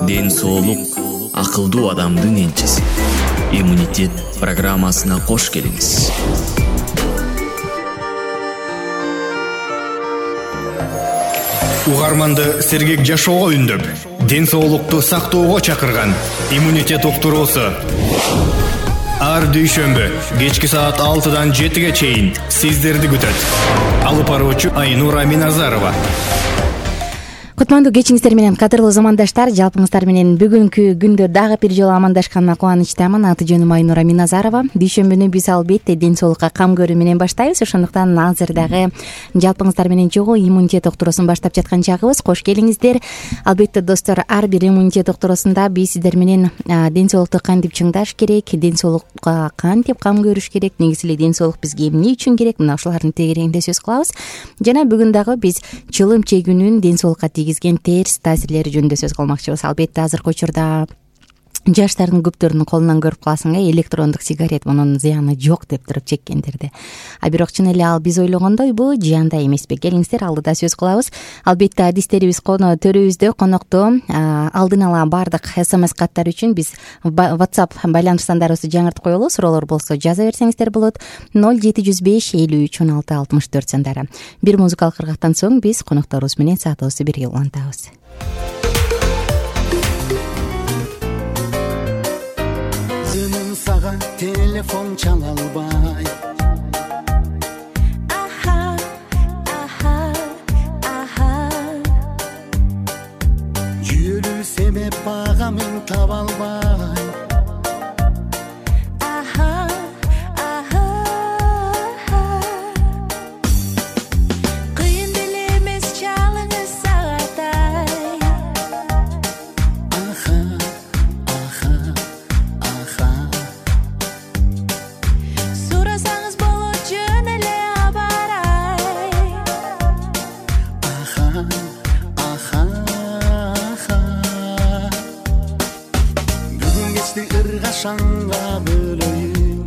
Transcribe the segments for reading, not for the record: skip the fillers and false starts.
ден соолук акылдуу адамдын энчиси. Иммунитет программасына кош келиңиз. Угарманды сергек жашоого үндөп, ден соолукту сактоого чакырган иммунитет уктуруусу. Ар дүйшөмбү кечки саат 6-дан 7-ге чейин сиздерди күтөт. Алып баруучу Айнура Миназарова. Кутмандуу кечиңиздер менен кадырлуу замандаштар, жалпыңыздар менен бүгүнкү күндө дагы бир жолу амандашканына кубанычтамын. Аты жөнүм Айнура Миназарова. Дүйшөмбүнү биз албетте ден соолукка кам көрүү менен баштайбыз. Ошондуктан азыр дагы жалпыңыздар менен чогуу иммунитет уктуруусун баштап жаткан чагыбыз. Кош келиңиздер. Албетте достор, ар бир иммунитет уктуруусунда биз сиздер менен ден соолукту кантип чыңдаш керек, ден соолукка кантип кам көрүш керек, негизи эле ден соолук бизге эмне үчүн керек, мына ушулардын тегерегинде сөз кылабыз. Жана бүгүн дагы биз чылым чегүүнүн ден соолукка тийгизген терс таасирлери жөнүндө сөз кылмакчыбыз. Албетте азыркы учурда жаштардын көптөрүнүн колунан көрүп каласың, электрондук сигарет мунун зыяны жок деп туруп чеккендерди. А бирок чын эле ал биз ойлогондойбу, жыяндаа эмеспи? Келиңиздер, алдыда сөз кылабыз. Албетте адистерибиз төрүбүздө конокто. Алдын ала баардык SMS каттар үчүн биз WhatsApp байланыш сандарыбызды жаңыртып коелу. Суроолор болсо жаза берсеңиздер болот. 0705 53 16 64 сандары. Бир музыкалык ыргактан соң биз конокторубуз менен саатыбызды бирге улантабыз. Телефон чала албай, жүрүү себеп багамын таба албай, кыйын деле эмес чалыңыз сагатай. Ыргашанга бөлөйүн,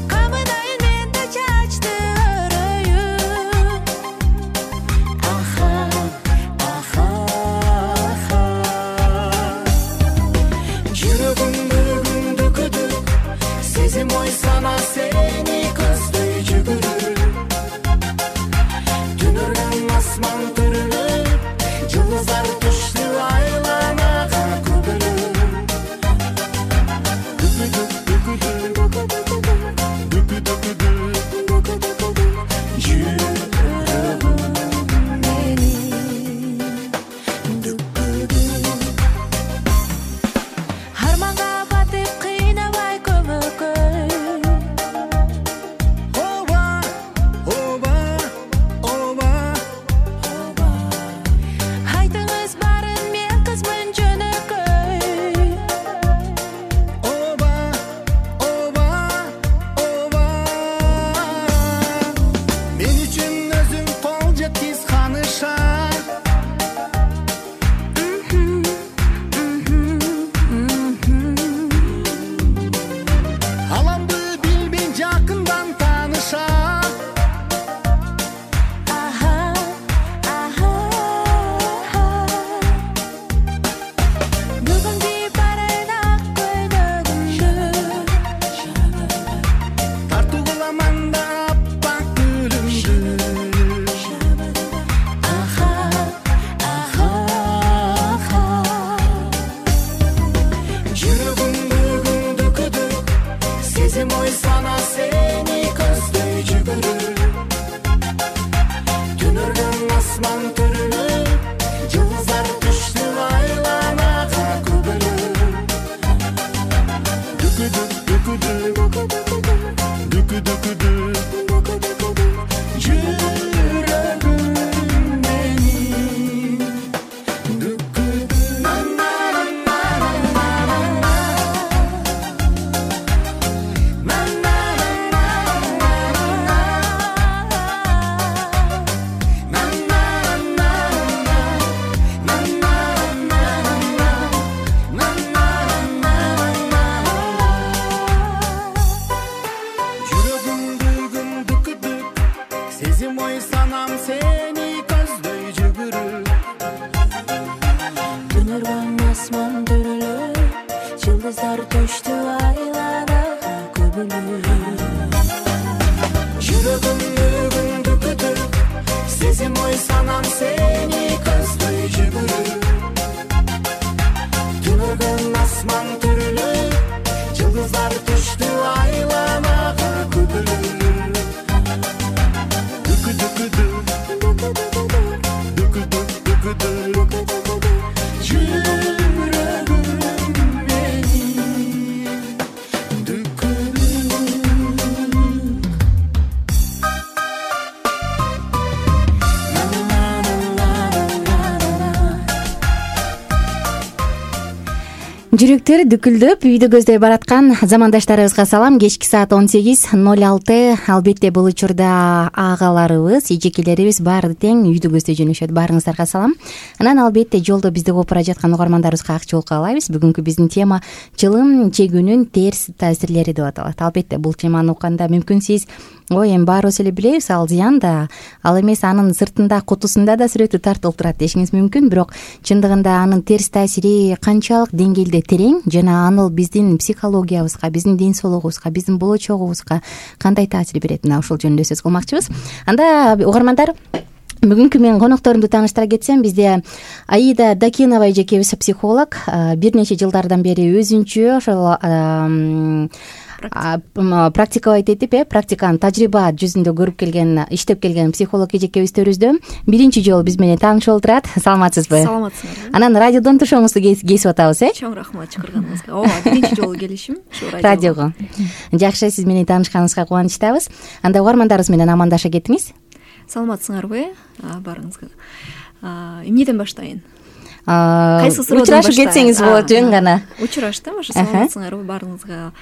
камынайын мен да чачты өрөйүн. Жүрөгүм мөрөгүмдү көтүп, сезим ой сана сени көздөй жүгүрүп. Түн өргөн асман түрүлүп, жылдыздар түштү айланага көбөлүп. түнөргөн асман төрөлөп жылдыздар төштү айланага көбөлөп жүрөгүмдү күндү күтүп сезим ой санам сени көздөй жүгүрүп түнөргөн асман төрөлөп жылдыздар төштү айланага көбөлөп жүрөктөр дүкүлдөп үйдү көздөй бараткан замандаштарыбызга салам. Кечки саат 18:06. Албетте бул учурда агаларыбыз, эжекелерибиз баары тең үйдү көздөй жөнөшөт. Баарыңыздарга салам. Анан албетте жолдо бизди угуп бара жаткан угармандарыбызга ак жол каалайбыз. Бүгүнкү биздин тема чылым чегүүнүн терс таасирлери деп аталат. Албетте бул теманы укканда мүмкүн сиз ой эми баарыбыз эле билебиз ал зыян да, ал эмес анын сыртында кутусунда да сүрөтү тартылып турат дешиңиз мүмкүн. Бирок чындыгында анын терс таасири канчалык деңгээлде терең жана анын биздин психологиябызга, биздин ден соолугубузга, биздин болочогубузга кандай таасир берет, мына ушул жөнүндө сөз кылмакчыбыз. Анда угармандар, бүгүнкү менин конокторумду тааныштыра кетсем, бизде Аида Дакинова эжекебиз психолог, бир нече жылдардан бери өзүнчө ошол практикабайт этип, практиканын тажрыйба жүзүндө көрүп келген, иштеп келген психолог эжекебиз төрүздө биринчи жолу биз менен таанышып отурат. Саламатсызбы? Саламатсызбы. Анан радиодон тушоңузду кесип атабыз, Чоң рахмат чакырганыңызга. Ооба, биринчи жолу келишим ушу радиого. Жакшы, сиз менен таанышканыбызга кубанычтабыз. Анда угармандарыбыз менен амандаша кетиңиз. Саламатсыңарбы баарыңызга? Эмнеден баштайын? Кайсы суроодон учурашып кетсеңиз болот, жөн гана. Учураштым, ошо саламатсыңарбы баарыңызга?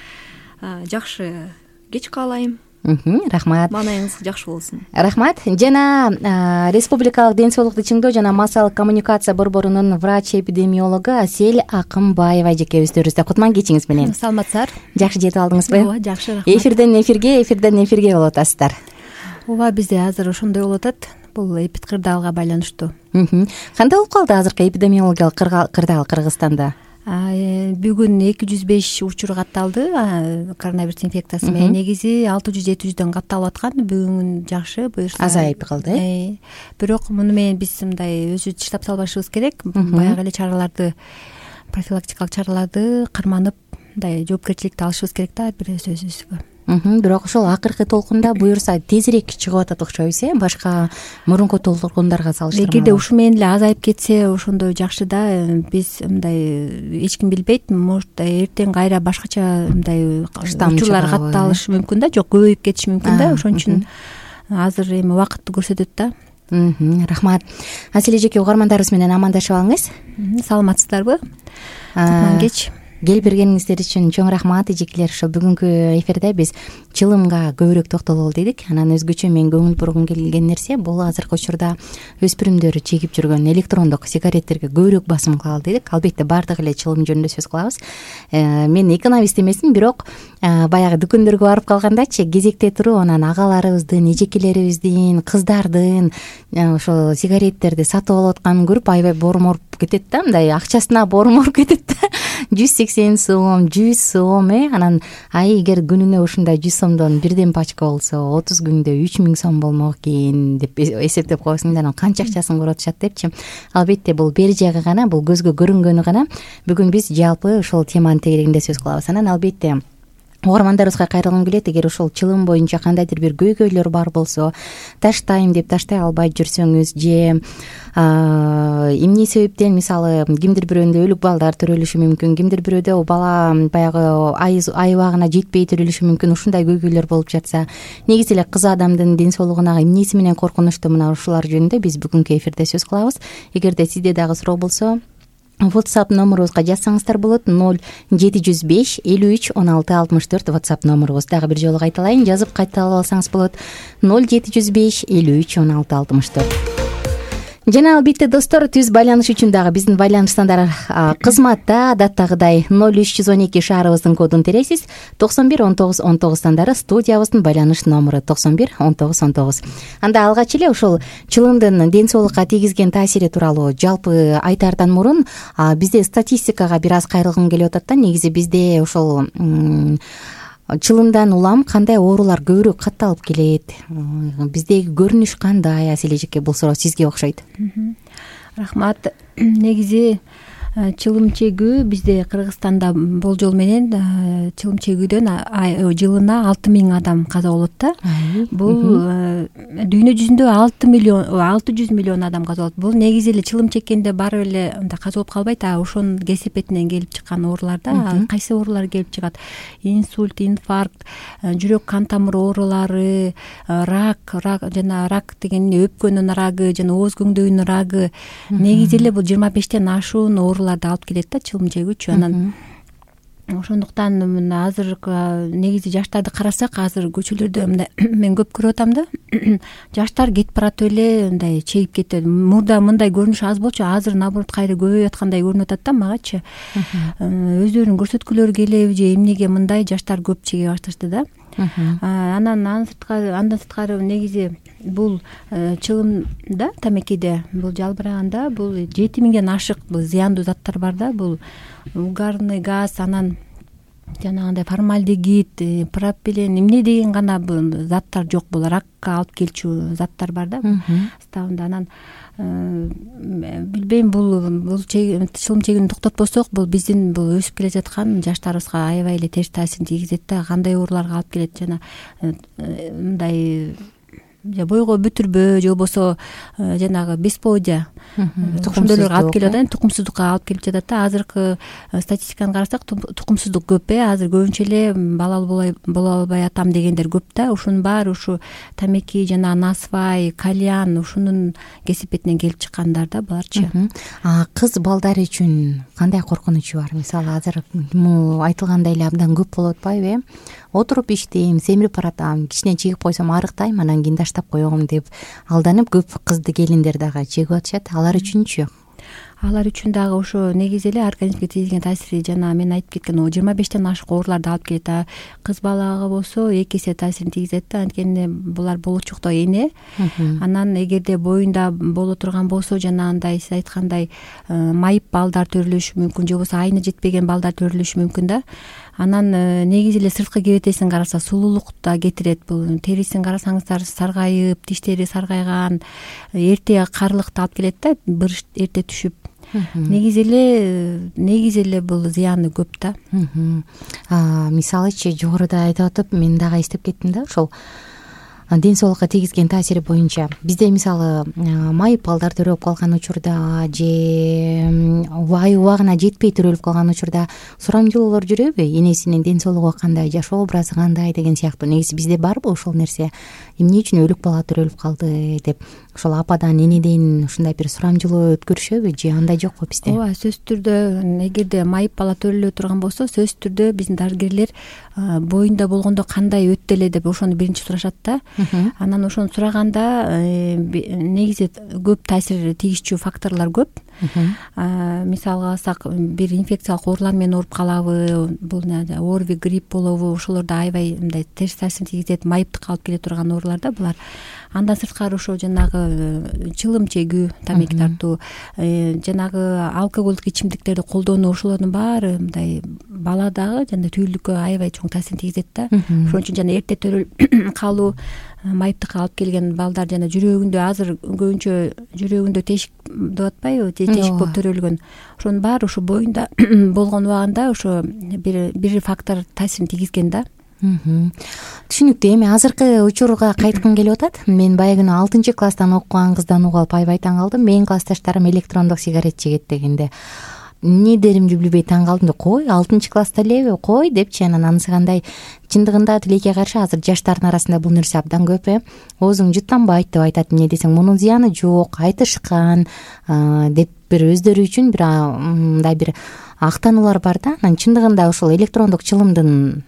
Жакшы кеч каалайм. Рахмат. Маанайыңыз жакшы болсун. Рахмат. Жана Республикалык ден соолукту чыңдоо жана массалык коммуникация борборунун врач-эпидемиологу Асель Акымбаева эжекебиз төрүбүздө. Кутман кечиңиз менен. Саламатсыздар. Жакшы жетип алдыңызбы? Ооба, жакшы, рахмат. Эфирден эфирге болуп атасыздар. Ооба, бизде азыр ошондой болуп атат. Бул эпидкырдаалга байланыштуу. Кандай болуп калды азыркы эпидемиологиялык кырдаал Кыргызстанда? Бүгүн 205 учур катталды коронавирус инфекциясы менен. Негизи 600-700дөн катталып аткан. Бүгүн жакшы, буюрса азайып калды. Бирок муну менен биз мындай өзүбүз таштап салбашыбыз керек. Баягы эле чараларды, профилактикалык чараларды карманып, мындай жоопкерчиликти алышыбыз керек да бир өзүбүзгө. Бирок ошол акыркы толкунда буюрса тезирээк чыгып атат окшойбуз, башка мурунку толкундарга салыштырмалуу. Эгерде ушу менен эле азайып кетсе ошондой жакшы да. Биз мындай эч ким билбейт, может эртең кайра башкача мындай учурлар катталышы мүмкүн да, жок көбөйүп кетиши мүмкүн да. Ошон үчүн азыр эми убакытты көрсөтөт да. Рахмат. Асель эжеке, угармандарыбыз менен амандашып алыңыз. Саламатсыздарбы? Кутман кеч. Келип бергениңиздер үчүн чоң рахмат эжекелер. Ошо бүгүнкү эфирде биз чылымга көбүрөөк токтололу дедик. Анан өзгөчө мен көңүл бургум келген нерсе бул азыркы учурда өспүрүмдөр чегип жүргөн электрондук сигареттерге көбүрөөк басым кылалы дедик. Албетте баардыгы эле чылым жөнүндө сөз кылабыз. Мен экономист эмесмин, бирок баягы дүкөндөргө барып калгандачы кезекте туруп анан агаларыбыздын, эжекелерибиздин, кыздардын ошо сигареттерди сатып алып атканын көрүп аябай боорморуп кетет да, мындай акчасына боорморуп кетет да. 180 сом, 100 сом, анан эгер күнүнө ушундай 100 сомдон бирден пачка болсо 30 күндө 3000 сом болмок экен деп эсептеп койсоң да, анан канча акчасын коротушат депчи. Албетте бул бери жагы гана, бул көзгө көрүнгөнү гана. Бүгүн биз жалпы ушул теманын тегерегинде сөз кылабыз. Анан албетте угармандарыбызга кайрылгым келет. Эгер ушул чылым боюнча кандайдыр бир көйгөйлөр бар болсо, таштайм деп таштай албай жүрсөңүз же эмне себептен, мисалы кимдир бирөөндө өлүк балдар төрөлүшү мүмкүн, кимдир бирөөдө бала баягы айыбагына жетпей төрөлүшү мүмкүн, ушундай көйгөйлөр болуп жатса, негизи эле кыз адамдын ден соолугуна эмнеси менен коркунучтуу, мына ушулар жөнүндө биз бүгүнкү эфирде сөз кылабыз. Эгерде сизде дагы суроо болсо, WhatsApp номерубузга жазсаңыздар болот. 0705 53 16 64 WhatsApp номерубуз. Дагы бир жолу кайталайын, жазып кайталап алсаңыз болот. 0705 53 16 64. жана албетте достор, түз байланыш үчүн дагы биздин байланыштандар кызматта адаттагыдай 0312 шаарыбыздын кодун тересиз, 911919 сандары студиябыздын байланыш номуру 911919. Анда алгач эле ошол чылымдын ден соолукка тийгизген таасири тууралуу жалпы айтаардан мурун бизде статистикага бир аз кайрылгым келип атат да. Негизи бизде ошол чылымдан улам кандай оорулар көбүрөөк катталып келет, биздеги көрүнүш кандай? Аселе эжеке, бул суроо сизге окшойт. Рахмат. Негизи чылым чегүү бизде Кыргызстанда болжол менен чылым чегүүдөн жылына 6000 адам каза болот да. Бул дүйнө жүзүндө 600 миллион адам каза болот. Бул негизи эле чылым чеккенде барып эле мындай каза болуп калбайт, ошонун кесепетинен келип чыккан оорулар да. Кайсы оорулар келип чыгат? Инсульт, инфаркт, жүрөк кан тамыр оорулары, рак жана рак деген өпкөнүн рагы жана ооз көңдөйүнүн рагы. Негизи эле бул 25тен ашуун ооруларды алып келет да чылым чегүүчү. Анан ошондуктан азыркы негизи жаштарды карасак, азыр көчөлөрдө мен көп көрүп атам да. Жаштар кетип баратып эле мындай чегип кетет. Мурда мындай көрүнүш аз болчу, азыр наоборот кайра көбөйүп аткандай көрүнүп атат да магачы. Өздөрүнүн көрсөткүлөрү келеби же эмнеге мындай жаштар көп чеге башташты да. Андан сырткары негизи бул чылымда, тамекиде, бул жалбыраганда бул 7000ден ашык бул зыяндуу заттар бар да. Бул угарный газ, анан жанагындай формальдегид, пропилен, эмне деген гана бул заттар жок. Бул ракка алып келчү заттар бар да составында. Анан билбейм, бул чылым чегүүнү токтотпосок, бул биздин бул өсүп келе жаткан жаштарыбызга аябай эле терс таасирин тийгизет да. Кандай ооруларга алып келет, жана мындай бойго бүтүрбө же болбосо жанагы бесплодие ошондойлорго алып келип атат, тукумсуздукка алып келип жатат да. Азыркы статистиканы карасак, тукумсуздук көп. Азыр көбүнчө эле балалуу боло албай атам дегендер көп да. Ушунун баары ушу тамеки жана насвай, кальян ушунун кесепетинен келип чыккандар да буларчы. Кыз балдар үчүн кандай коркунучу бар? Мисалы азыр айтылгандай эле абдан көп болуп атпайбы? Отуруп иштейм, семирип баратам, кичине чегип койсом арыктайм, анан кийин таштап коем деп алданып көп кызды келиндер дагы чегип атышат. Алар үчүнчү? Алар үчүн дагы ошо негизи эле организмге тийгизген таасири жана мен айтып кеткен 25тен ашык ооруларды алып келет. Кыз балага болсо 2 эсе таасирин тийгизет да, анткени булар болочокто эне. Анан эгерде боюнда боло турган болсо, жанагындай сиз айткандай майып балдар төрөлүшү мүмкүн, же болбосо айына жетпеген балдар төрөлүшү мүмкүн да. Анан негизи эле сырткы кебетесин караса сулуулук да кетирет. Бул терисин карасаңыздар саргайып, тиштери саргайган, эрте карлыкты алып келет да, бырыш эрте түшүп. Негизи эле бул зыяны көп да. Мисалычы жогоруда айтып атып, мен дагы эстеп кеттим да, ошол ден соолукка тийгизген таасири боюнча. Бизде мисалы майып балдар төрөлүп калган учурда же убагына жетпей төрөлүп калган учурда сурамжылоолор жүрөбү? Энесинин ден соолугу кандай, жашоо образы кандай деген сыяктуу. Негизи бизде барбы ошол нерсе? Эмне үчүн өлүк бала төрөлүп калды деп ошол ападан, энеден ушундай бир сурамжылоо өткөрүшөбү же андай жокпу бизде? Ооба, сөзсүз түрдө эгерде майып бала төрөлө турган болсо, сөзсүз түрдө биздин дарыгерлер боюнда болгондо кандай өттү эле деп ошону биринчи сурашат да. Анан ошону сураганда негизи көп таасир тийгизчү факторлор көп. Мисалга алсак, бир инфекциялык оорулар менен ооруп калабы, бул ОРВИ, грипп болобу, ошолордо аябай мындай терс таасирин тийгизет, майыптыкка алып келе турган оорулар да булар. Андан сырткары ошо жанагы чылым чегүү, тамеки тартуу, жанагы алкоголдук ичимдиктерди колдонуу, ошолордун баары мындай баладагы жана түйүлдүккө аябай чоң таасирин тийгизет да. Ошон үчүн жана эрте төрөлүп калуу, майыптыкка алып келген балдар жана жүрөгүндө азыр көбүнчө жүрөгүндө тешик деп атпайбы, тешик болуп төрөлгөн. Ошонун баары ошо боюнда болгон убагында ошо бир фактор таасирин тийгизген да. Түшүнүктүү. Эми азыркы учурга кайткым келип атат. Мен баягы 6-класстан окуган кыздан угуп алып аябай таң калдым. Менин классташтарым электрондук сигарет чегет дегенде эмне деримди билбей таң калдым. Кой, 6-класста элеби, кой депчи. Анан анысы кандай? Чындыгында тилекке каршы азыр жаштардын арасында бул нерсе абдан көп. Оозуң жыттанбайт деп айтат. Эмне десең, мунун зыяны жок, айтышкан деп бир өздөрү үчүн бир мындай бир актануулар бар да. Анан чындыгында ошол электрондук чылымдын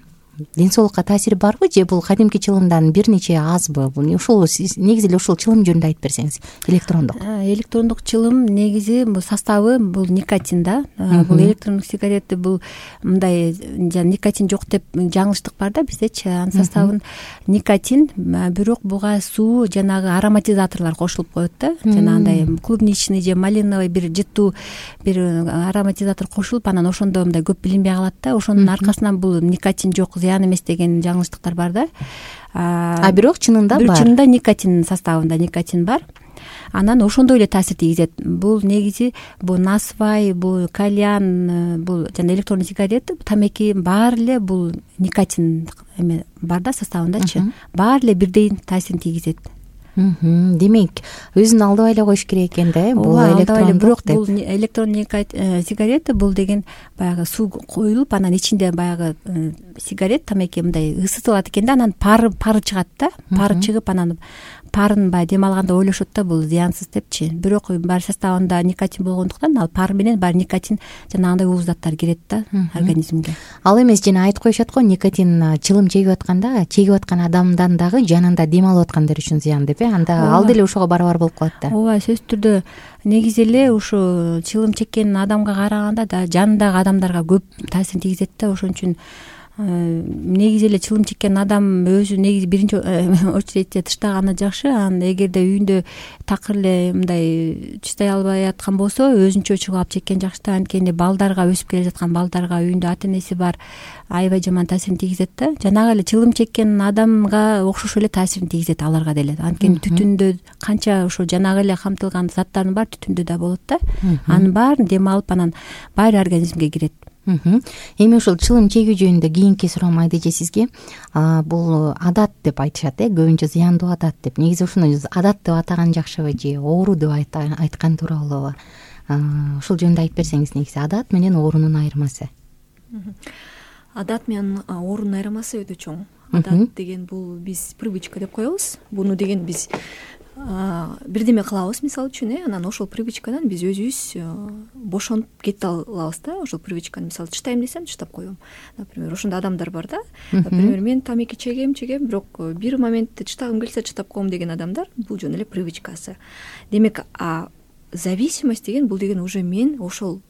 ден соолукка таасири барбы же бул кадимки чылымдан бир нече азбы? Ушул негизи эле ушул чылым жөнүндө айтып берсеңиз. Электрондук чылым негизи бул составы бул никотин да. Бул электрондук сигарети бул мындай никотин жок деп жаңылыштык бар да биздечи. Анын составын никотин, бирок буга суу жанагы ароматизаторлор кошулуп коет да. Жанагындай клубничный же малиновый бир жыттуу бир ароматизатор кошулуп, анан ошондо мындай көп билинбей калат да. Ошонун аркасынан бул никотин жок, зыян эмес деген жаңылыштыктар бар да. Бирок чынында бар. Чынында никотин составында никотин бар. Анан ошондой эле таасир тийгизет. Бул негизи бул насвай, бул кальян, бул жана электронный сигарет, тамеки баары эле бул никотин эме бар да составындачы. Баары эле бирдей таасирин тийгизет. Демек, өзүн алдабай эле коюш керек экен да, бул электрондук деп. Бул электронный сигарет бул деген баягы суу коюлуп, анан ичинде баягы сигарет тамеки мындай ысытылат экен да, анан пары чыгат да. Пары чыгып, анан парын баягы дем алганда ойлошот да бул зыянсыз депчи. Бирок баары составында никотин болгондуктан ал пар менен баары никотин жанагындай ууз заттар кирет да организмге. Ал эмес, жана айтып коюшат го, никотин чылым чегип атканда, чегип аткан адамдан дагы жанында дем алып аткандар үчүн зыян деп. Анда ал деле ошого барабар болуп калат да. Ооба, сөзсүз түрдө негизи эле ушу чылым чеккен адамга караганда да жанындагы адамдарга көп таасирин тийгизет да. Ошон үчүн негизи эле чылым чеккен адам өзү негизи биринчи очередте тыштаганы жакшы. Анан эгерде үйүндө такыр эле мындай тыштай албай аткан болсо, өзүнчө чыгып алып чеккен жакшы да. Анткени балдарга, өсүп келе жаткан балдарга үйүндө ата энеси бар, аябай жаман таасирин тийгизет да. Жанагы эле чылым чеккен адамга окшош эле таасирин тийгизет аларга деле. Анткени түтүндө канча ошо жанагы эле камтылган заттардын баары түтүндө да болот да. Анын баарын дем алып, анан баары организмге кирет. Эми ушул чылым чегүү жөнүндө кийинки суроом Айдеже сизге. Бул адат деп айтышат, көбүнчө зыяндуу адат деп. Негизи ушуну адат деп атаган жакшыбы же оору деп айткан тууралуубу? Ушул жөнүндө айтып берсеңиз, негизи адат менен оорунун айырмасы. Адат менен оорунун айырмасы өтө чоң. Адат деген бул биз привычка деп коебуз. Буну деген биз бирдеме кылабыз, мисалы үчүн, анан ошол привычкадан биз өзүбүз бошонуп кете алабыз да. Ошол привычканы мисалы тыштайм десем, тыштап коем. Например, ошондой адамдар бар да. Например, мен тамеки чегем, бирок бир моментте тыштагым келсе тыштап коем деген адамдар, бул жөн эле привычкасы. Демек, зависимость деген бул деген уже мен ошол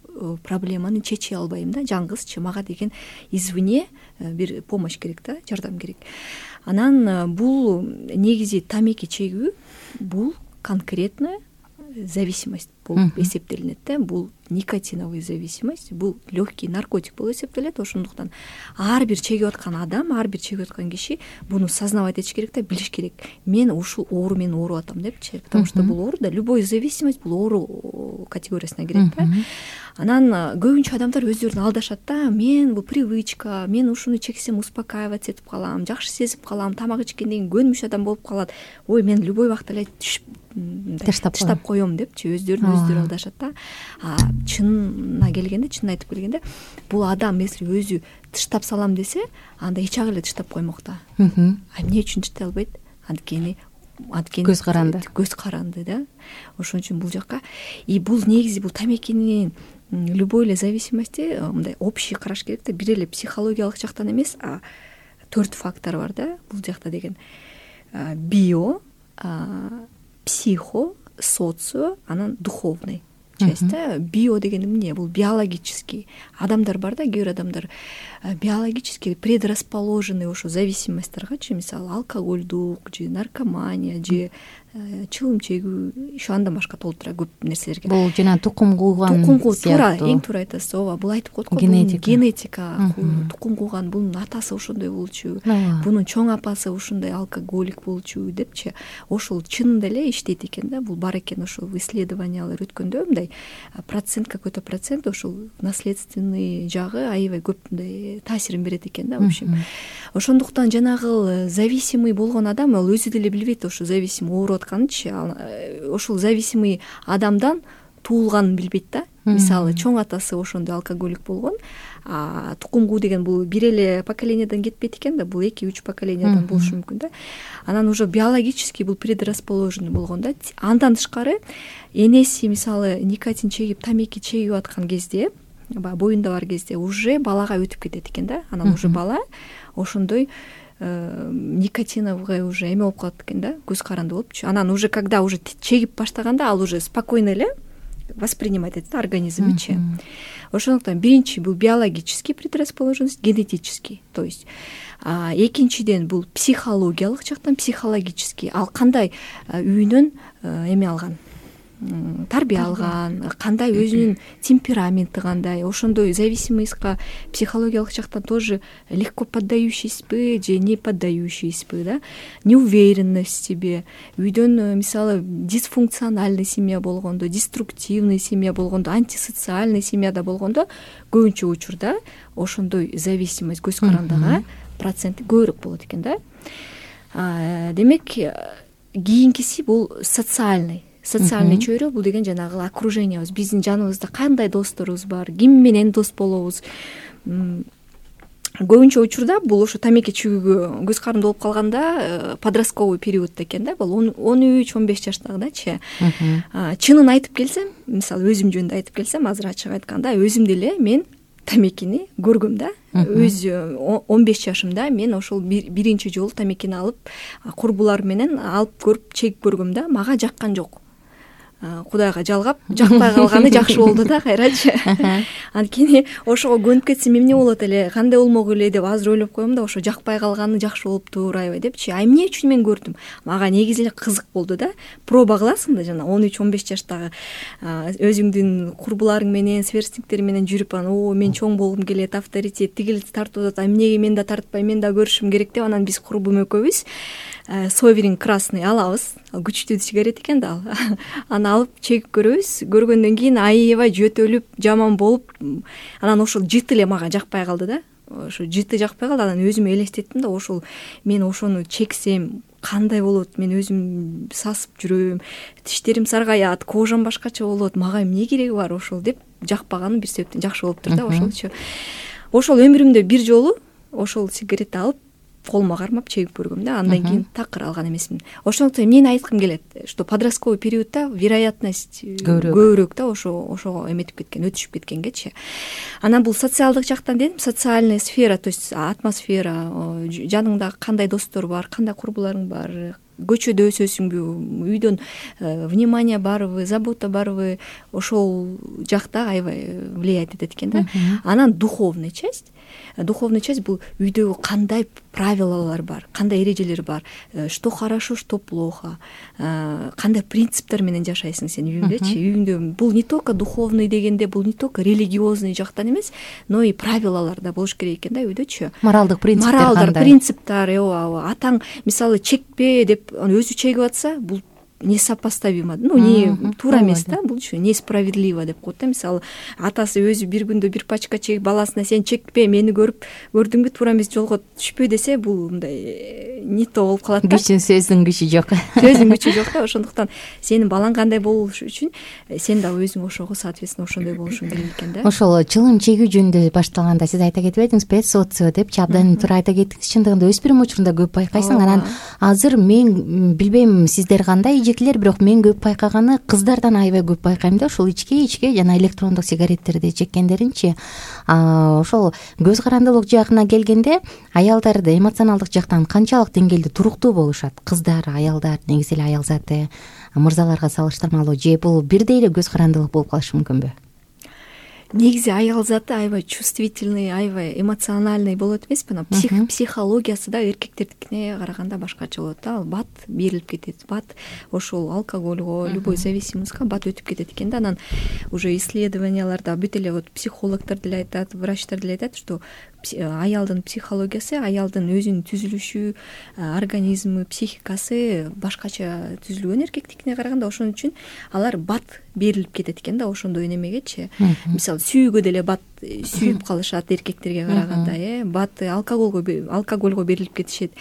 проблеманы чече албайм да, жалгызчы. Мага деген извне бир помощь керек да, жардам керек. Анан бул негизи тамеки чегүү бул конкретно зависимость болуп эсептелинет да. Бул никотиновый зависимость, бул легкий наркотик болуп эсептелет. Ошондуктан ар бир чегип аткан адам, ар бир чегип аткан киши буну сознавать этиш керек да, билиш керек. Мен ушул оору менен ооруп атам депчи. Потому что бул оору да, любой зависимость бул оору категориясына кирет да. Анан көбүнчө адамдар өздөрүн алдашат да. Мен бул привычка, мен ушуну чексем успокаиваться этип калам, жакшы сезип калам, тамак ичкенден кийин көнмүш адам болуп калат. Ой, мен любой убакта эле тыштап коем депчи, өздөрүн өздөрү алдашат да. Чынына келгенде, чынын айтып келгенде, бул адам если өзү тыштап салам десе, анда эч ак эле тыштап коймок да. Эмне үчүн тыштай албайт? Анткени көз каранды да. Ошон үчүн бул жакка бул негизи бул тамекинин любой эле зависимости мындай общий караш керек да. Бир эле психологиялык жактан эмес, 4 фактор бар да бул жакта деген. Био, психо, социо, анан духовный часть да. Био деген эмне? Бул биологический. Адамдар бар да, кээ бир адамдар биологически предрасположенный ошо зависимостьтаргачы, мисалы алкоголдук же наркомания же чылым чегүү, ошо андан башка толтура көп нерселерге. Бул жана тукум кууган туура, эң туура айтасыз. Ооба, бул айтып коет го, генетика, тукум кууган, бунун атасы ошондой болчу, бунун чоң апасы ушундай алкоголик болчу депчи. Ошол чынында эле иштейт экен да, бул бар экен. Ошол исследованиялар өткөндө мындай процент, какой-то процент ошол наследственный жагы аябай көп мындай таасирин берет экен да, в общем. Ошондуктан жанагы зависимый болгон адам ал өзү деле билбейт ошо зависимый ооруп атканынчы. Ошол зависимый адамдан туулганын билбейт да. Мисалы чоң атасы ошондой алкоголик болгон, тукум куу деген бул бир эле поколениядан кетпейт экен да, бул 2-3 поколениядан болушу мүмкүн да. Анан уже биологически бул предрасположенный болгон да. Андан тышкары энеси мисалы никотин чегип, тамеки чегип аткан кезде баягы боюнда бар кезде уже балага өтүп кетет экен да. Анан уже бала ошондой никотиновый уже эме болуп калат экен да, көз каранды болупчу. Анан уже когда уже чегип баштаганда ал уже спокойно эле воспринимать этет организмичи. Ошондуктан биринчи бул биологический предрасположенность, генетический, то есть экинчиден бул психологиялык жактан, психологический. Ал кандай үйүнөн эме алган, тарбия алган, кандай өзүнүн темпераменти кандай, ошондой зависимостька психологиялык жактан тоже легко поддающийсизби же не поддающийсизби, да, неуверенность в себе. Үйдөн мисалы дисфункциональный семья болгондо, деструктивный семья болгондо, антисоциальный семьяда болгондо көбүнчө учурда ошондой зависимость көз карандыга проценти көбүрөөк болот экен да. Демек кийинкиси бул социальный чөйрө. Бул деген жанагы окружениябыз, биздин жаныбызда кандай досторубуз бар, ким менен дос болобуз. Көбүнчө учурда бул ошо тамеки чүгүүгө көз каранды болуп калганда подростковый периодто экен да, бул 13-15 жаштагыдачы. Чынын айтып келсем, мисалы өзүм жөнүндө айтып келсем, азыр ачык айтканда өзүм деле мен тамекини көргөм да. Өз 15 жашымда мен ошол биринчи жолу тамекини алып курбулар менен алып көрүп чегип көргөм да. Мага жаккан жок. Кудайга жалгап, жакпай калганы жакшы болду да кайрачы. Анткени ошого көнүп кетсем эмне болот эле, кандай болмок эле деп азыр ойлоп коем да, ошо жакпай калганы жакшы болуптур аябай депчи. Эмне үчүн мен көрдүм? Мага негизи эле кызык болду да. Проба кыласың да, жана 13-15 жаштагы өзүңдүн курбуларың менен, сверстниктер менен жүрүп, анан мен чоң болгум келет, авторитет тигил тартып атат, эмнеге мен да тартпай, мен да көрүшүм керек деп, анан биз курбум экөөбүз Соверин красный алабыз. Күчтүү сигарет экен да ал. Аны алып чегип көрөбүз. Көргөндөн кийин аябай жөтөлүп, жаман болуп, анан ошол жыты эле мага жакпай калды да. Ошо жыты жакпай калды. Анан өзүмө элестеттим да, ошол мен ошону чексем кандай болот, мен өзүм сасып жүрөм, тиштерим саргаят, кожам башкача болот, мага эмне кереги бар ошол деп жакпаганы бир себептен жакшы болуптур да ошолчу. Ошол өмүрүмдө бир жолу ошол сигаретти алып колума кармап чегип көргөм да, андан кийин такыр алган эмесмин. Ошондуктан эмнени айткым келет, что подростковый периодда вероятность көбүрөөк да, ошого эметип кеткен, өтүшүп кеткенгечи. Анан бул социалдык жактан дедим, социальная сфера, то есть атмосфера, жаныңда кандай достор бар, кандай курбуларың бар, көчөдө өсөсүңбү, үйдөн внимание барбы, забота барбы, ошол жакта аябай влиять этет экен да. Анан духовный часть бул үйдөгү кандай правилалар бар, кандай эрежелер бар, что хорошо, что плохо, кандай принциптер менен жашайсың сен үйүңдөчү. Үйүңдө бул не только духовный дегенде, бул не только религиозный жактан эмес, но и правилалар да болуш керек экен да үйдөчү. Моралдык принциптер кандай? Моралдар, принциптер, атаң мисалы чекпе деп өзү чегип атса, бул несопоставимо, не туура эмес да, булчу несправедливо деп коет да. Мисалы атасы өзү бир күндө бир пачка чегип баласына сен чекпе, мени көрдүңбү, туура эмес жолго түшпө десе, бул мындай не то болуп калат да. Сөздүн күчү жок. Сөздүн күчү жок да. Ошондуктан сенин балаң кандай болуш үчүн сен да өзүң ошого соответственно ошондой болушуң керек экен да. Ошол чылым чегүү жөнүндө башталганда сиз айта кетип эдиңиз, социо депчи, абдан туура айта кеттиңиз. Чындыгында өспүрүм учурунда көп байкайсың. Анан азыр мен билбейм сиздер кандай, бирок мен көп байкаганы кыздардан аябай көп байкайм да, ошол ичке жана электрондук сигареттерди чеккендеринчи. Ошол көз карандылык жагына келгенде аялдарды эмоционалдык жактан канчалык деңгээлде туруктуу болушат? Кыздар, аялдар, негизи эле аял заты мырзаларга салыштырмалуу, же бул бирдей эле көз карандылык болуп калышы мүмкүнбү? Негизи аял заты аябай чувствительный, аябай эмоциональный болот эмеспи? Психологиясы да эркектердикине караганда башкача болот да. Ал бат берилип кетет, бат ошол алкогольго, любой зависимостька бат өтүп кетет экен да. Анан уже исследованияларда бүт эле вот психологдор деле айтат, врачтар деле айтат, что аялдын психологиясы, аялдын өзүнүн түзүлүшү, организми, психикасы башкача түзүлгөн эркектикине караганда. Ошон үчүн алар бат берилип кетет экен да, ошондой немегечи. Мисалы сүйүүгө деле бат сүйүп калышат эркектерге караганда, бат алкогольго берилип кетишет.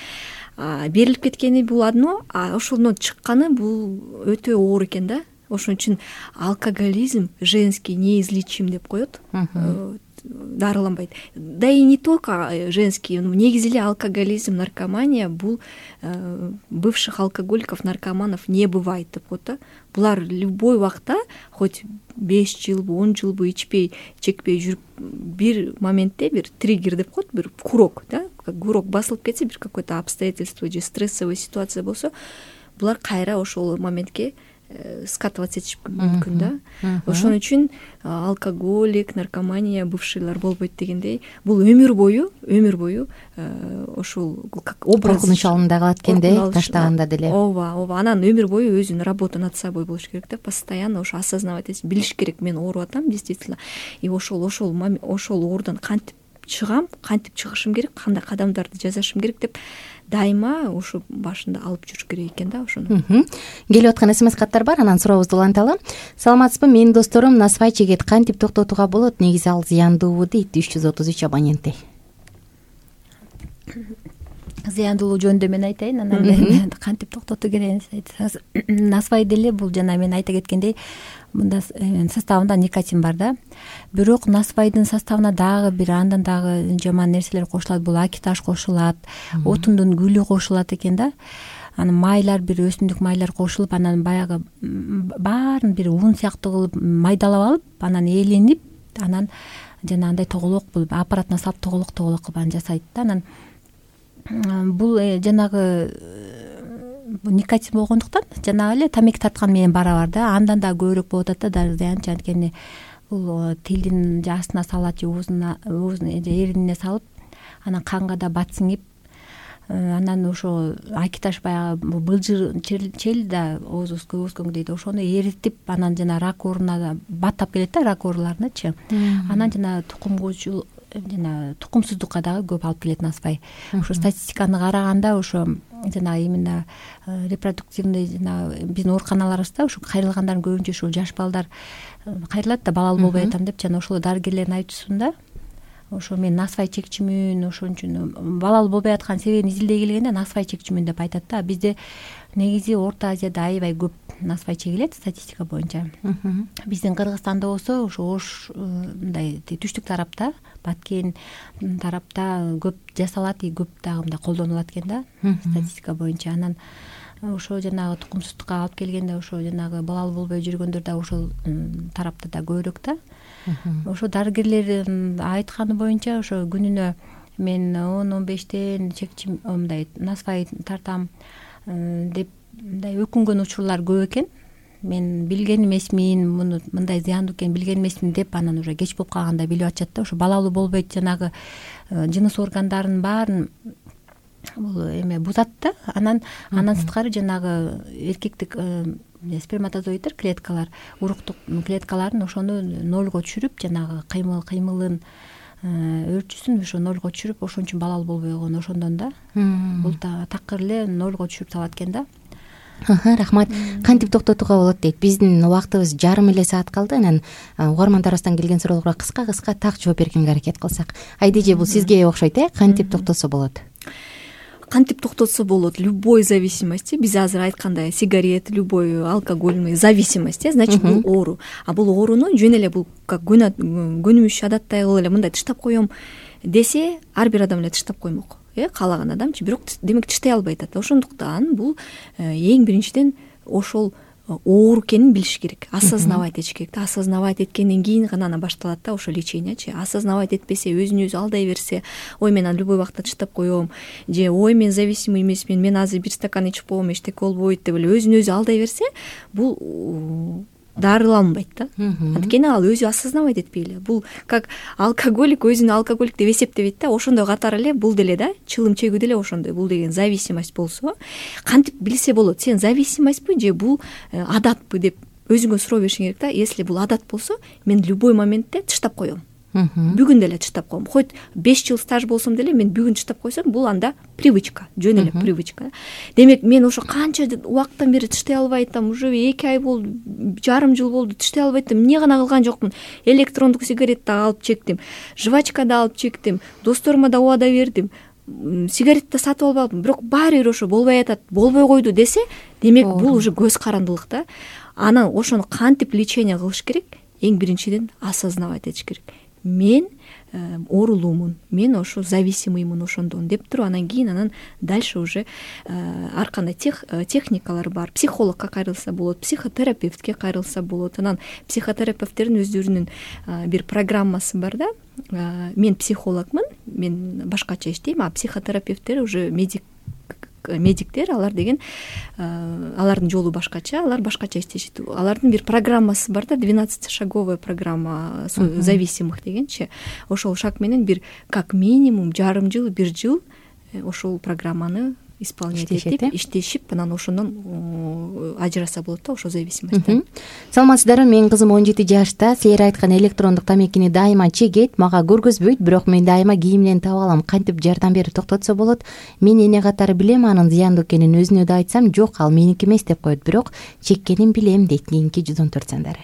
Берилип кеткени бул одно, а ошондон чыкканы бул өтө оор экен да. Ошон үчүн алкоголизм женский неизлечим деп коет. дарыланбайт. Да и не только женский, негизи эле алкоголизм, наркомания бул бывших алкоголиков, наркоманов не бывает деп коет да. Булар любой убакта хоть 5 жылбы 10 жылбы ичпей чекпей жүрүп бир моментте бир триггер деп коет, бир курок, да, курок басылып кетсе, бир какое-то обстоятельство же стрессовый ситуация болсо, булар кайра ошол моментке скатываться этиши мүмкүн да. Ошон үчүн алкоголик, наркомания бывшийлар болбойт дегендей, бул өмүр бою ошол как образ коркунуч алында калат экенде таштаганда деле. Ооба, анан өмүр бою өзүнүн работа над собой болуш керек да, постоянно ошо осознавать этиш, билиш керек, мен ооруп атам действительно, и ошол оорудан кантип чыгам, кантип чыгышым керек, кандай кадамдарды жасашым керек деп дайыма ошо башында алып жүрүш керек экен да ошону. Келип аткан СМС каттар бар, анан сурообузду уланталы. Саламатсызбы, менин досторум насвай чегет, кантип токтотууга болот? Негизи ал зыяндуубу дейт 333 абоненти. Зыяндуулугу жөнүндө мен айтайын, анан кантип токтотуу керек айтсаңыз, насвай деле бул жана мен айта кеткендей мында составында никотин бар да. Бирок насвайдын составына дагы бир андан дагы жаман нерселер кошулат. Бул акиташ кошулат, отундун гүлү кошулат экен да. Анан майлар, бир өсүмдүк майлар кошулуп, анан баягы баарын бир ун сыяктуу кылып майдалап алып, анан ээленип, анан жанагындай тоголок болуп аппаратына салып тоголок кылып анан жасайт да. Анан бул жанагы никотин болгондуктан жанагы эле тамеки тарткан менен барабар да, андан да көбүрөөк болуп атат да зыян. Анткени бул тилдин астына салат же оозуна эринине салып, анан канга да бат сиңип, анан ошо акиташ баягы былжыр чел да оозубузга өскөнгө дейт, ошону эритип, анан жана рак оорунда баттап келет да, рак ооруларыначы. Анан жана тукумгучул жана тукумсуздукка дагы көп алып келет насвай. Ошо статистиканы караганда ошо жана именно репродуктивный жана биздин ооруканаларыбызда ошо кайрылгандардын көбүнчө ушул жаш балдар кайрылат да, балалуу болбой атам деп, жана ошол дарыгерлердин айтуусунда ошо мен насвай чекчүмүн, ошон үчүн балалуу болбой аткан себебин изилдей келгенде насвай чекчүмүн деп айтат да. Бизде негизи Орто Азияда аябай көп насвай чегилет статистика боюнча. Биздин Кыргызстанда болсо ошо Ош мындай түштүк тарапта, Баткен тарапта көп жасалат, и көп дагы мындай колдонулат экен да статистика боюнча. Анан ошо жанагы тукумсуздукка алып келгенде ошо жанагы балалуу болбой жүргөндөр да ошол тарапта да көбүрөөк да. Ошо дарыгерлердин айтканы боюнча ошо күнүнө мен 10-15тен чекчим мындай насвай тартам деп мындай өкүнгөн учурлар көп экен. Мен билген эмесмин, муну мындай зыяндуу экенин билген эмесмин деп, анан уже кеч болуп калганда билип атышат да. Ошо балалуу болбойт жанагы жыныс органдарынын баарын бул эме бузат да. Анан сырткары жанагы эркектик сперматозоидтер, клеткалар, уруктук клеткаларын ошону нолго түшүрүп, жанагы кыймылын өрчүсүн ошо нолго түшүрүп, ошон үчүн балалуу болбой койгон ошондон да. Бул такыр эле нолго түшүрүп салат экен да. Рахмат. Кантип токтотууга болот дейт. Биздин убактыбыз жарым эле саат калды. Анан угармандарыбыздан келген суроолорго кыска так жооп бергенге аракет кылсак. Айдеже, бул сизге окшойт кантип токтотсо болот? Кантип токтотсо болот? Любой зависимость, биз азыр айткандай сигарет, любой алкогольный зависимость, значит бул оору. А бул ооруну жөн эле бул как көнүмүш адаттай кылып эле мындай тыштап коем десе, ар бир адам эле тыштап коймок. Каалаган адамчы, бирок демек тыштай албай атат. Ошондуктан бул эң биринчиден ошол оору экенин билиш керек, осознавать этиш керек. Осознавать эткенден кийин гана анан башталат да ошо лечениячы. Осознавать этпесе, өзүн өзү алдай берсе, ой мен любой убакта тыштап коем, же ой мен зависимый эмесмин, мен азыр бир стакан ичип коем, эчтеке болбойт деп эле өзүн өзү алдай берсе, бул дарыланбайт да. Анткени ал өзү осознавать этпей эле. Бул как алкоголик өзүн алкоголик деп эсептебейт да. Ошондой катары эле бул деле да, чылым чегүү деле ошондой. Бул деген зависимость болсо, кантип билсе болот? Сен зависимостьпы же бул адатпы деп өзүңө суроо беришиң керек да. Если бул адат болсо, мен любой моментте тыштап коем. Бүгүн деле тыштап коем. Хоть 5 жыл стаж болсом деле мен бүгүн тыштап койсом, бул анда привычка, жөн эле привычка. Демек мен ошо канча убакыттан бери тыштай албай атам, уже 2 ай болду, жарым жыл болду, тыштай албай атам. Эмне гана кылган жокмун? Электрондук сигарет да алып чектим, жвачка да алып чектим, досторума да убада бердим, сигарет да сатып алып алдым, бирок баары бир ошо болбой атат, болбой койду десе, демек бул уже көз карандылык да. Анан ошону кантип лечение кылыш керек? Эң биринчиден осознавать этиш керек. мен оорулуумун, мен ошо зависимыймын ошондон деп туруп, анан кийин анан дальше уже ар кандай техникалар бар. Психологко кайрылса болот, психотерапевтке кайрылса болот. Анан психотерапевттердин өздөрүнүн бир программасы бар да. Мен психологмун, мен башкача иштейм, а психотерапевттер уже медиктер, алар деген алардын жолу башкача, алар башкача иштешет. Алардын бир программасы бар да, 12-шаговая программа зависимых дегенчи. Ошол шаг менен бир как минимум жарым жыл, бир жыл ошол программаны исполнять этип, иштешип, анан ошондон ажыраса болот да, ошо зависимость. Саламатсыздарбы, менин кызым 17 жашта, силер айткан электрондук тамекини дайыма чегет, мага көргөзбөйт, бирок мен дайыма кийимден таап алам. Кантип жардам берип токтотсо болот? Мен эне катары билем, анын зыяндуу экенин өзүнө да айтсам, жок, ал меники эмес деп коет, бирок чеккенин билем дейт кийинки 114 сандары.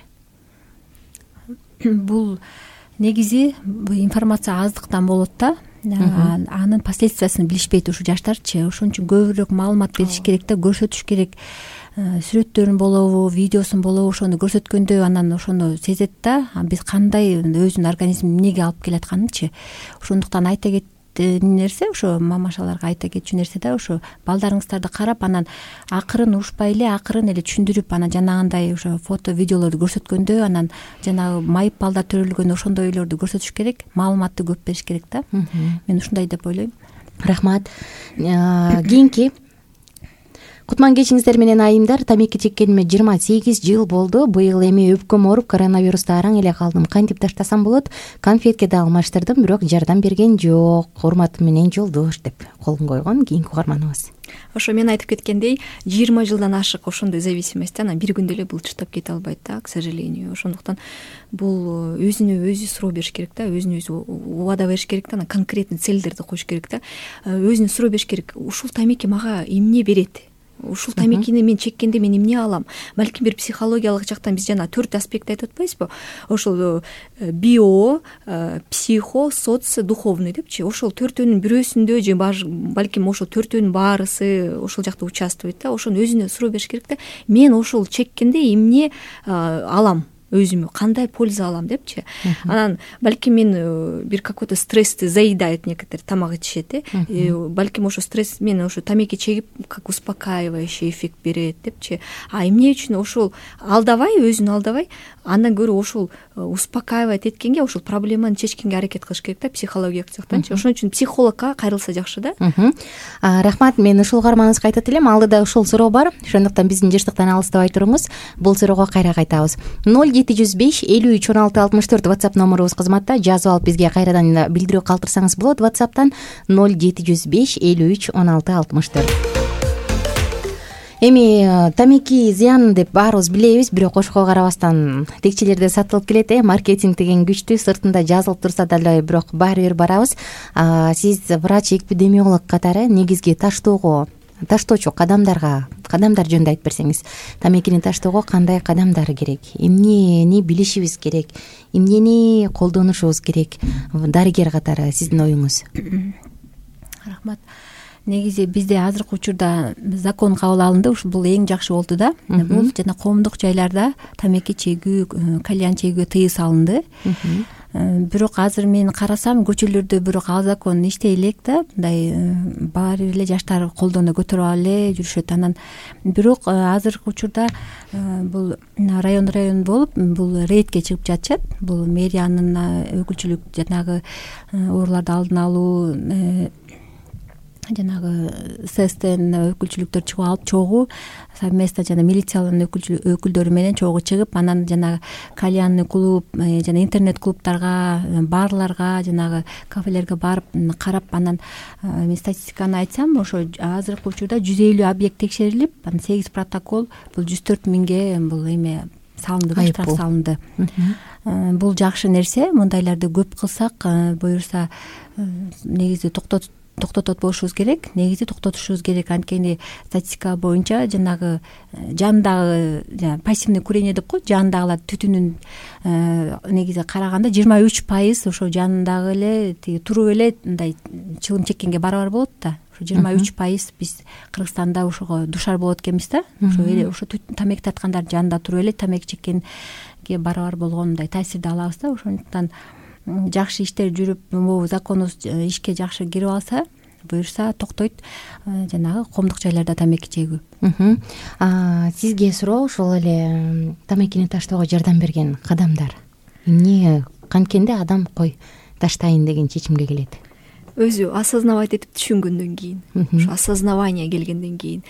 Бул негизи информация аздыктан болот да. Анын последствиясын билишпейт ушу жаштарчы. Ошон үчүн көбүрөөк маалымат бериш керек да, көрсөтүш керек. Сүрөттөрүн болобу, видеосун болобу, ошону көрсөткөндө анан ошону сезет да, биз кандай өзүнүн организмин эмнеге алып келатканынчы. Ошондуктан айта кеткен нерсе, ошо мамашаларга айта кетчү нерсе да, ошо балдарыңыздарды карап, анан акырын урушпай эле, акырын эле түшүндүрүп, анан жанагындай ошо фото, видеолорду көрсөткөндө, анан жанагы майып балдар төрөлгөн ошондойлорду көрсөтүш керек, маалыматты көп бериш керек да. Мен ушундай деп ойлойм. Рахмат. Кийинки Кутман кечиңиздер менен айымдар. Тамеки чеккениме 28 жыл болду. Быйыл эми өпкөм ооруп, коронавируста араң эле калдым. Кантип таштасам болот? Конфетке да алмаштырдым, бирок жардам берген жок. Урматым менен Жолдош деп колун койгон кийинки угарманыбыз. Ошо мен айтып кеткендей, 20 жылдан ашык ошондой зависимость, анан бир күндө эле булчуктап кете албайт да, к сожалению. Ошондуктан бул өзүнө өзү суроо бериш керек да, өзүнө өзү убада бериш керек да, анан конкретный целдерди коюш керек да. Өзүнө суроо бериш керек. Ушул тамеки мага эмне берет? Ушул тамекини мен чеккенде мен эмне алам? Балким бир психологиялык жактан биз жана 4 аспект айтып атпайбызбы? Ошол био, психо, соц, духовный депчи. Ошол 4-өнүн бирөөсүндө же балким ошол 4-өнүн баарысы ошол жакта участвует да. Ошону өзүнө суроо бериш керек да. Мен ошол чеккенде эмне алам? Өзүмө кандай польза алам депчи. Анан балким мен бир какой-то стрессти заедает, некоторые тамак ичишет, балким ошо стресс мен ошо тамеки чегип как успокаивающий эффект берет депчи. А эмне үчүн ошол алдабай, өзүн алдабай, андан көрө ошол успокаивать эткенге, ошол проблеманы чечкенге аракет кылыш керек да, психологиялык жактанчы. Ошон үчүн психологко кайрылса жакшы да. Рахмат, мен ушул угарманыбызга айтат элем, алдыда ушул суроо бар. Ошондуктан биздин жыштыктан алыстабай туруңуз. Бул суроого кайра кайтабыз. 0705 53 16 64 WhatsApp номерубуз кызматта. Жазып алып бизге кайрадан билдирүү калтырсаңыз болот. WhatsApp'тан 0705 53 16 64. Эми тамеки зыян деп баарыбыз билебиз, бирок кошко карабастан текчелерде сатылып келет. Маркетинг деген күчтүү, сыртында жазылып турса дагы бирок баары бир барабыз. Сиз врач, эпидемиолог катары негизги таштоочу кадамдар жөнүндө айтып берсеңиз. Тамекини таштоого кандай кадамдар керек? Эмнени билишибиз керек? Эмнени колдонушубуз керек? Дарыгер катары сиздин оюңуз. Рахмат. Негизи бизде азыркы учурда закон кабыл алынды, бул эң жакшы болду да. Бул жана коомдук жайларда тамеки чегүү, кальян чегүү тыюу салынды. Бирок азыр мен карасам көчөлөрдө бирок ал закон иштей элек да, мындай баары эле жаштар колдоно көтөрүп эле жүрүшөт. Анан бирок азыркы учурда бул район болуп, бул рейдке чыгып жатышат. Бул мэриянын өкүлчүлүк жанагы ооруларды алдын алуу, жанагы ССТн өкүлчүлүктөр чыгып алып чогуу совместно жана милициянын өкүлдөрү менен чогуу чыгып, анан жанагы кальянный клуб жана интернет клубтарга, барларга, жанагы кафелерге барып карап, анан мен статистиканы айтсам, ошо азыркы учурда 150 объект текшерилип, анан 8 протокол, бул 104 миңге бул эме салынды, штраф салынды. Бул жакшы нерсе. Мындайларды көп кылсак, буюрса негизи токтотот болушубуз керек. Негизи токтотушубуз керек. Анткени статистика боюнча жанагы жандагы пассивный курение деп коет, жандагылар түтүнүн негизи караганда 23% ошо жандагы эле туруп эле мындай чылым чеккенге барабар болот да. 23% биз Кыргызстанда ошого душар болот экенбиз да. Ошо тамеки тарткандар жанында туруп эле тамеки чеккенге барабар болгон мындай таасирди алабыз да. Ошондуктан жакшы иштер жүрүп, могу законубуз ишке жакшы кирип алса, буюрса токтойт жанагы коомдук жайларда тамеки чегүү. Сизге суроо ошол эле тамекини таштоого жардам берген кадамдар эмне, канткенде адам кой таштайын деген чечимге келет? Өзү осознавать этип түшүнгөндөн кийин, ошо осознавание келгенден кийин.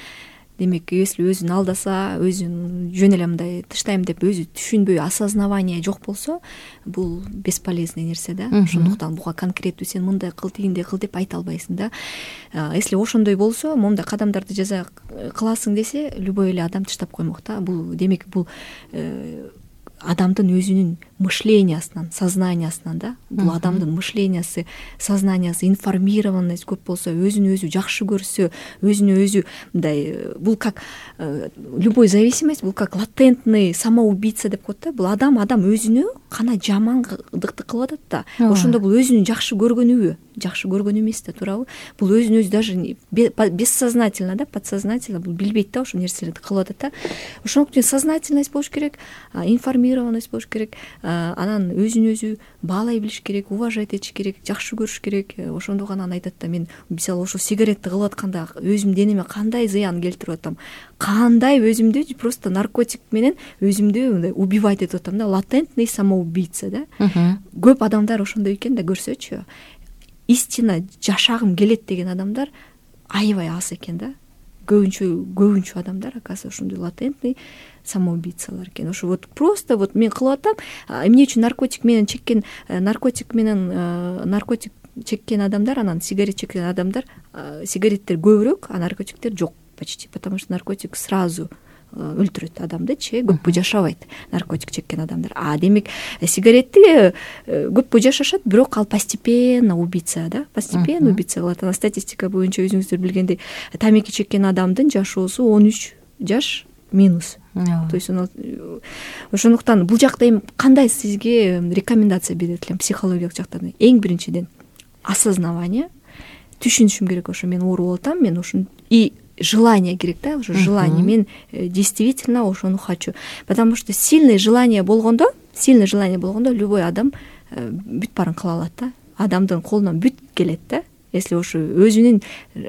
Демек, если өзүн алдаса, өзүн жөн эле мындай таштайм деп өзү түшүнбөй, осознавание жок болсо, бул бесполезный нерсе да. Ошондуктан буга конкреттүү сен мындай кыл, тигиндей кыл деп айта албайсың да. Если ошондой болсо, момундай кадамдарды жаза кыласың десе, любой эле адам таштап коймок да. Бул демек, бул адамдын өзүнүн мышлениясынан, сознаниясынан да. Бул адамдын мышлениясы, сознаниясы, информированность көп болсо, өзүн өзү жакшы көрсө, өзүнө өзү мындай, бул как любой зависимость, бул как латентный самоубийца деп коет да. Бул адам өзүнө кана жамандыкты кылып атат да. Ошондо бул өзүнүн жакшы көргөнүбү, жакшы көргөнү эмес да, туурабы? Бул өзүн өзү даже бессознательно да, подсознательно бул билбейт да, ошол нерселерди кылып атат да. Ошондуктан сознательность болуш керек, информированность болуш керек, анан өзүн өзү баалай билиш керек, уважать этиш керек, жакшы көрүш керек. Ошондо гана айтат да, мен мисалы ошо сигаретти кылып атканда өзүм денеме кандай зыян келтирип атам, кандай өзүмдү просто наркотик менен өзүмдү мындай убивать этип атам да, латентный самоубийца да. Көп адамдар ошондой экен да, көрсөчү. Истинно жашагым келет деген адамдар аябай аз экен да. Көбүнчө адамдар оказывается ошондой латентный самоубийцалар экен. Ошо вот просто вот мен кылып атам, эмне үчүн наркотик чеккен адамдар, анан сигарет чеккен адамдар, сигареттер көбүрөөк, а наркотиктер жок почти, потому что наркотик сразу өлтүрөт адамдычы, көппү жашабайт наркотик чеккен адамдар. Демек, сигаретти көппү жашашат, бирок ал постепенно убийца да, постепенно убийца кылат. Анан статистика боюнча өзүңүздөр билгендей, тамеки чеккен адамдын жашоосу 13 жаш минус. То есть ошондуктан бул жакта эми кандай сизге рекомендация берет элем психологиялык жактан? Эң биринчиден осознавание, түшүнүшүм керек, ошо мен ооруп атам, мен ошону и желание керек да, уже желание, мен действительно ошону хочу. Потому что сильное желание болгондо любой адам бүт баарын кыла алат да. Адамдын колунан бүт келет да, если ошо өзүнүн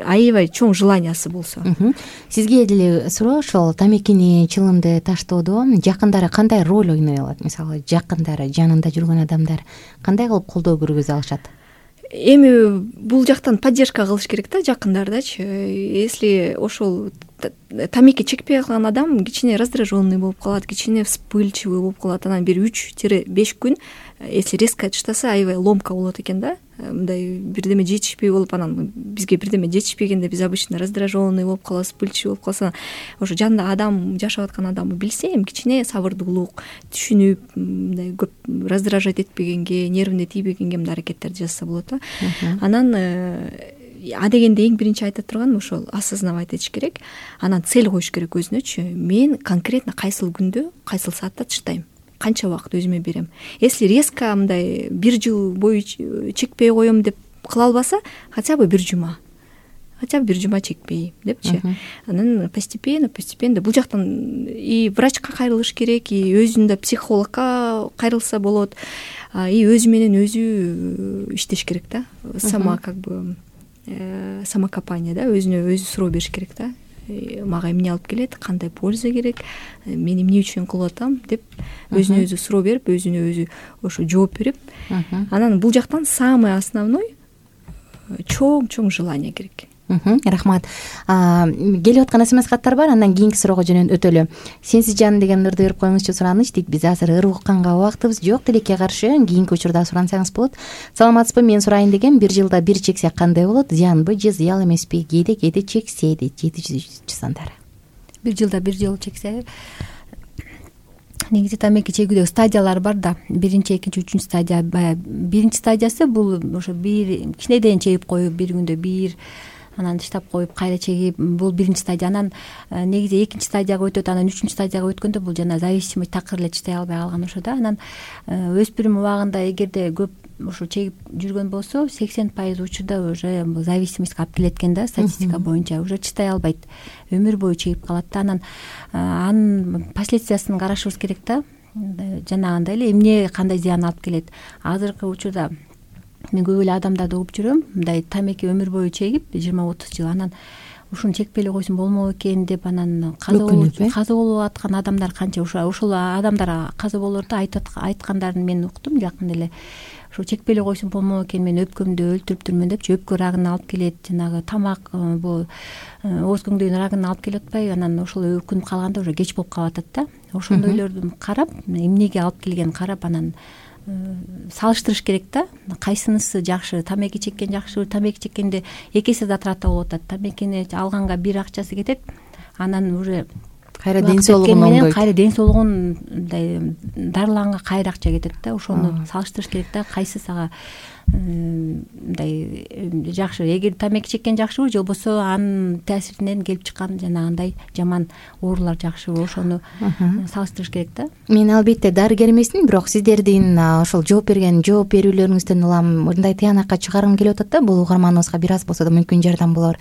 аябай чоң желаниясы болсо. Сизге деле суроо, ошол тамекини, чылымды таштоодо жакындары кандай роль ойной алат? Мисалы, жакындары, жанында жүргөн адамдар кандай кылып колдоо көргөзө алышат? Эми бул жактан поддержка кылыш керек да, жакындардачы. Если ошол тамеки чекпей калган адам кичине раздраженный болуп калат, кичине вспыльчивый болуп калат, анан бир 3-5 күн если резко таштаса, аябай ломка болот экен да. Мындай бирдеме жетишпей болуп, анан бизге бирдеме жетишпегенде биз обычно раздраженный болуп калабыз, вспыльчивый болуп калса, ошо жанында адам жашап аткан адамды билсе, эми кичине сабырдуулук, түшүнүп, мындай көп раздражать этпегенге, нервине тийбегенге мындай аракеттерди жасаса болот да. Анан дегенде эң биринчи айта турганым ошол осознавать этиш керек. Анан цель коюш керек өзүнөчү. Мен конкретно кайсыл күндө, кайсыл саатта таштайм, канча убакыт өзүмө берем. Если резко мындай 1 жыл бою чекпей коем деп кыла албаса, хотя бы 1 жума чекпей депчи. Анан постепенно бул жактан и врачка кайрылыш керек, и өзүндө психологко кайрылса болот, и өзү менен өзү иштеш керек да. Самокопание да, өзүнө өзү суроо бериш керек да. Мага эмне алып келет, кандай польза керек, мен эмне үчүн кылып атам деп өзүнө өзү суроо берип, өзүнө өзү ошо жооп берип, анан бул жактан самый основной чоң желание керек. Рахмат. Келип аткан смс-каттар бар, андан кийинки суроого өтөлү. Сенсиз жан деген нурду берип коюңузчу сураныч дейт. Биз азыр ыр укканга убактыбыз жок, тилекке каршы кийинки учурда сурансаңыз болот. Саламатсызбы, мен сурайын дегем, 1 жылда 1 чексек кандай болот? Зыянбы же зыял эмеспи? Кээде чексе дейт 700 сандар. 1 жылда 1 жыл чексе, негизи тамеки чегүүдө стадиялар бар да. 1-2-3 стадия. Биринчи стадиясы бул ошо кичинеден чегип коюп, 1 күндө 1, анан таштап коюп, кайра чегип, бул 1-чи стадия. Анан негизи 2-чи стадияга өтөт, анан 3-чү стадияга өткөндө бул жана зависимость такыр эле чыдай албай калган ошо да. Анан өспүрүм убагында эгерде көп ошо чегип жүргөн болсо, 80% учурда уже зависимостька алып келет экен да, статистика боюнча. Уже чыдай албайт, өмүр бою чегип калат да. Анан анын последствиясын карашыбыз керек да. жанагындай эле эмне кандай зыян алып келет. Азыркы учурда мен көп эле адамдарды угуп жүрөм, мындай тамеки өмүр бою чегип 20-30 жыл, анан ушуну чекпей эле койсом болмок экен деп анан каза болуп аткан адамдар канча. Ошол адамдар каза болорду айткандарын мен уктум жакында эле. Ошо чекпей эле койсом болмок экен, мен өпкөмдү өлтүрүптүрмүн депчи, өпкө рагын алып келет, жанагы тамак бул ооз көңдөйүн рагын алып келип атпайбы, анан ошол өкүнүп калганда уже кеч болуп калып атат да. Ошондойлорду карап, эмнеге алып келгенин карап, анан салыштырыш керек да. Кайсынысы жакшы, тамеки чеккен жакшыбы, тамеки чеккенде 2 эсе затрата болуп атат. Тамекини алганга бир акчасы кетет, анан уже кайра ден соолугун оңдойт, кайра ден соолугун мындай дарыланга кайра акча кетет да. Ошону салыштырыш керек да, кайсы сага мындай жакшы. Эгер тамеки чеккен жакшыбы, же болбосо анын таасиринен келип чыккан жанагындай жаман оорулар жакшыбы, ошону салыштырыш керек да. Мен албетте дарыгер эмесмин, бирок сиздердин ошол жооп берүүлөрүңүздөн улам мындай тыянакка чыгаргым келип атат да. Бул угарманыбызга бир аз болсо да мүмкүн жардам болор.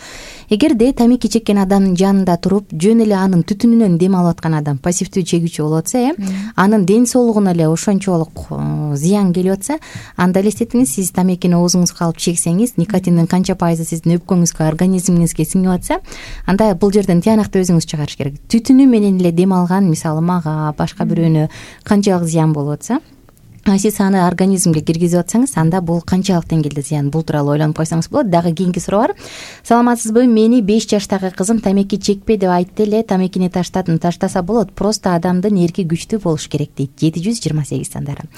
Эгерде тамеки чеккен адамдын жанында туруп, жөн эле анын түтүнүнөн дем алып аткан адам пассивдүү чегүүчү болуп атса, анын ден соолугуна эле ошончолук зыян келип атса, анда элестетиңиз, сиз тамекини оозуңузга алып чексеңиз, никотиндин канча пайызы сиздин өпкөңүзгө, организмиңизге сиңип атса, анда бул жерден тыянакты өзүңүз чыгарыш керек. Түтүнү менен эле дем алган, мисалы мага, башка бирөөнө канчалык зыян болуп атса, сиз аны организмге киргизип атсаңыз, анда бул канчалык деңгээлде зыян, бул тууралуу ойлонуп койсоңуз болот. Дагы кийинки суроо бар. Саламатсызбы? Мени 5 жаштагы кызым тамеки чекпе деп айтты эле, тамекини таштадым. Таштаса болот, просто адамдын эрки күчтүү болуш керек дейт. 728 сандары.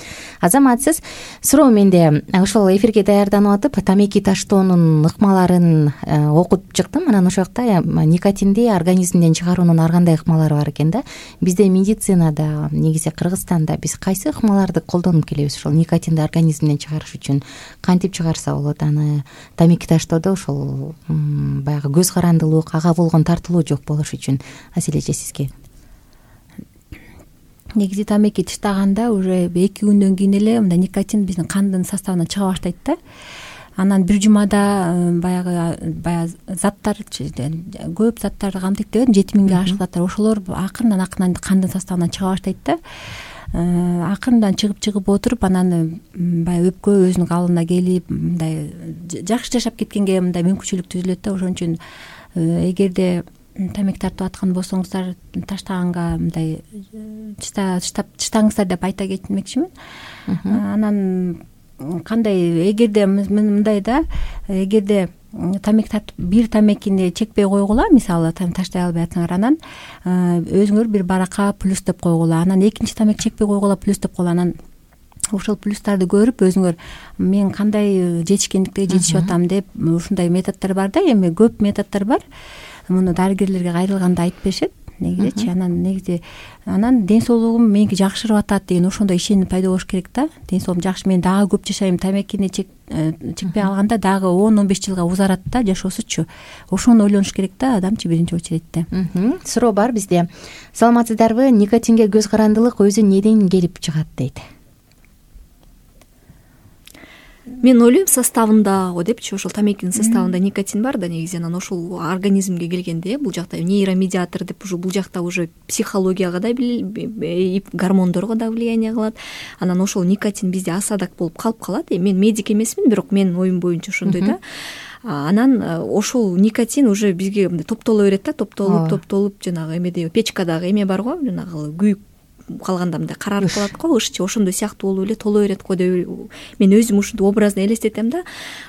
Азаматсыз. Суроо менде. Ошол эфирге даярданып атып, тамеки таштоонун ыкмаларын окуп чыктым. Анан ошол жакта никотинди организмден чыгаруунун ар кандай ыкмалары бар экен да. Бизде медицинада, негизи Кыргызстанда биз кайсы ыкмаларды колдонуп келебиз ошол никотинди организмден чыгарыш үчүн? Кантип чыгарса болот аны? Тамеки таштоодо ошол баягы көз карандылык, ага болгон тартылуу жок болуш үчүн. Аселе эже, сизге. Негизи тамеки таштаганда уже 2 күндөн кийин эле мындай никотин биздин кандын составынан чыга баштайт да. Анан бир жумада баягы заттар, көп заттарды камтыйт деп 7000ге ашык заттар, ошолор акырындан кандын составынан чыга баштайт да. Акырындан чыгып отуруп, анан баягы өпкө өзүнүн калыбына келип, мындай жакшы жашап кеткенге мындай мүмкүнчүлүк түзүлөт да. Ошон үчүн эгерде тамеки тартып аткан болсоңуздар, таштаганга мындай чыштаңыздар деп айта кетмекчимин. Анан кандай, эгерде мындай да, эгерде тамеки тартып бир тамекини чекпей койгула, мисалы таштай албай атсаңар, анан өзүңөр бир баракка плюс деп койгула, анан экинчи тамеки чекпей койгула, плюс деп койгула. Анан ошол плюстарды көрүп өзүңөр мен кандай жетишкендикке жетишип атам деп, ушундай методдор бар да, эми көп методдор бар. Муну дарыгерлерге кайрылганда айтып беришет негизичи. Анан ден соолугум меники жакшырып атат деген ошондой ишеним пайда болуш керек да. Ден соолугум жакшы, мен дагы көп жашайм, тамекини чекпей алганда дагы 10-15 жылга узарат да жашоосучу. Ошону ойлонуш керек да адамчы биринчи очередте. Суроо бар бизде. Саламатсыздарбы? Никотинге көз карандылык өзү неден келип чыгат дейт. Мен ойлойм, составында го депчи, ошол тамекинин составында никотин бар да негизи. Анан ошол организмге келгенде бул жакта нейромедиатор деп, бул жакта уже психологияга да, гормондорго да влияние кылат. Анан ошол никотин бизде асадак болуп калып калат. Мен медик эмесмин, бирок менин оюм боюнча ошондой да. Анан ошол никотин уже бизге топтоло берет да, топтолуп жанагы эмеде печкадагы эме бар го, жанагы күйүп калганда мындай карарып калат го, ышчы ошондой сыяктуу болуп эле толо берет го деп мен өзүм ушинтип образно элестетем да.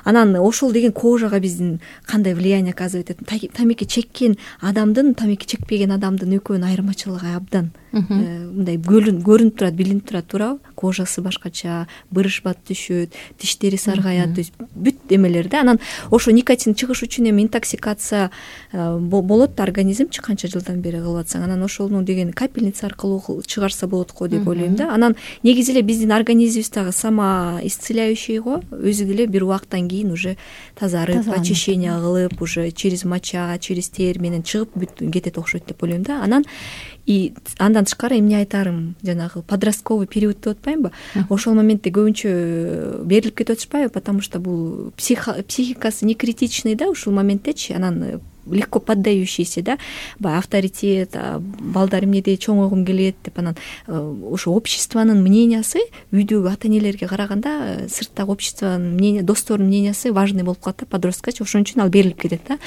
Анан ошол деген кожага биздин кандай влияние оказывать этет? Тамеки чеккен адамдын, тамеки чекпеген адамдын экөөнүн айырмачылыгы абдан мындай көрүнүп турат, билинип турат, туурабы? Кожасы башкача, бырышбат түшөт, тиштери саргаят, то есть бүт эмелер да. Анан ошо никотин чыгыш үчүн эми интоксикация болот организмчи канча жылдан бери кылып атсаң, анан ошону деген капельница аркылуу чыгарса болот го деп ойлойм да. Анан негизи эле биздин организмибиз дагы самоисцеляющий го, өзү деле бир убакыттан кийин уже тазарып, очищение кылып, уже через моча, через тер менен чыгып бүт кетет окшойт деп ойлойм да. Анан андан тышкары эмне айтарым, жанагы подростковый период деп атпаймынбы? Ошол моментте көбүнчө берилип кетип атышпайбы, потому что бул психикасы не критичный да ушул моменттечи. Анан легко поддающийся, да, баягы авторитет, балдар эмнеде чоңойгум келет деп, анан ошо обществонун мнениясы үйдөгү ата энелерге караганда сырттагы обществонун мнение, достордун мнениясы важный болуп калат да подросткачы, ошон үчүн ал берилип кетет да.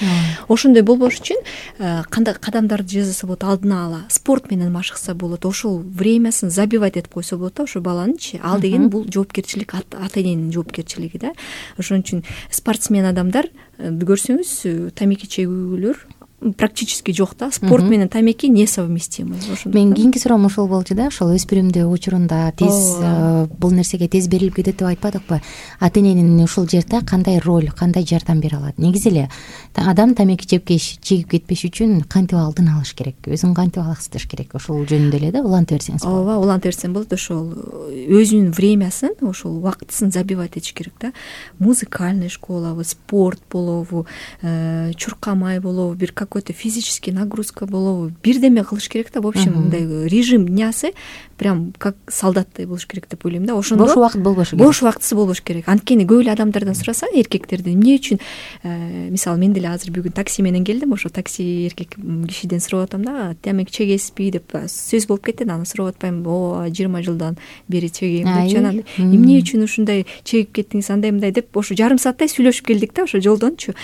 Ошондой болбош үчүн кандай кадамдарды жасаса болот, алдына ала спорт менен машыкса болот, ошол времясын забивать этип койсо болот да, ошо баланычы. Ал деген бул жоопкерчилик, ата эненин жоопкерчилиги да. Ошон үчүн спортсмен адамдар көрсөңүз тамеки чегүүлөр практически жок да. Спорт менен тамеки несовместимы. Мен кийинки суроом ошол болчу да, ошол өспүрүмдүү учурунда тез бул нерсеге тез берилип кетет деп айтпадыкпы? Ата эненин ушул жерде кандай роль, кандай жардам бере алат? Негизи эле адам тамеки чегип кетпеш үчүн кантип алдын алыш керек, өзүн кантип алаксытыш керек? Ошол жөнүндө эле да уланта берсеңиз болот. Ооба, уланта берсем болот. Ошол өзүнүн времясын, ошол убактысын забивать этиш керек да. Музыкальный школабы, спорт болобу, чуркамай болобу, бир какой-то физический нагрузка болобу, бирдеме кылыш керек да. В общем, мындай режим днясы прям как солдаттай болуш керек деп ойлойм да. Ошондо бош убакыт болбош керек. Бош убактысы болбош керек. Анткени көп эле адамдардан сурасаң, эркектерден эмне үчүн, мисалы мен деле азыр бүгүн такси менен келдим, ошо такси эркек кишиден сурап атам да, тамеки чегесизби деп сөз болуп кетти. Аны сурап атпайм, 20 жылдан бери чегейм депчи. Анан эмне үчүн ушундай чегип кеттиңиз, андай деп ошо жарым сааттай сүйлөшүп келдик да, ошо жолдончу.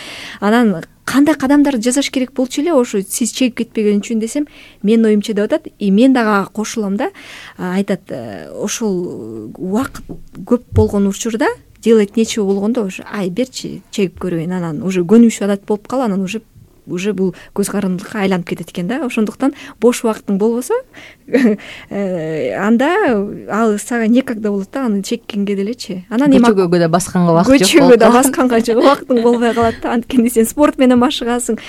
Анан кандай кадамдарды жасаш керек болчу эле ошо сиз чегип кетпеген үчүн десем, менин оюмча деп атат. И мен дагы кошулам да, айтат, ошол убакыт көп болгон учурда, делать нечего болгондо ошо ай берчи чегип көрөйүн, анан уже көнүмүш адат болуп калып, анан уже бул көз карандылыкка айланып кетет экен да. Ошондуктан бош убактың болбосо анда ал сага некогда болот да, аны чеккенге делечи. Анан көчөгө да басканга убакыт жок. Көчөгө да басканга убактың болбой калат да. Анткени сен спорт менен машыгасың,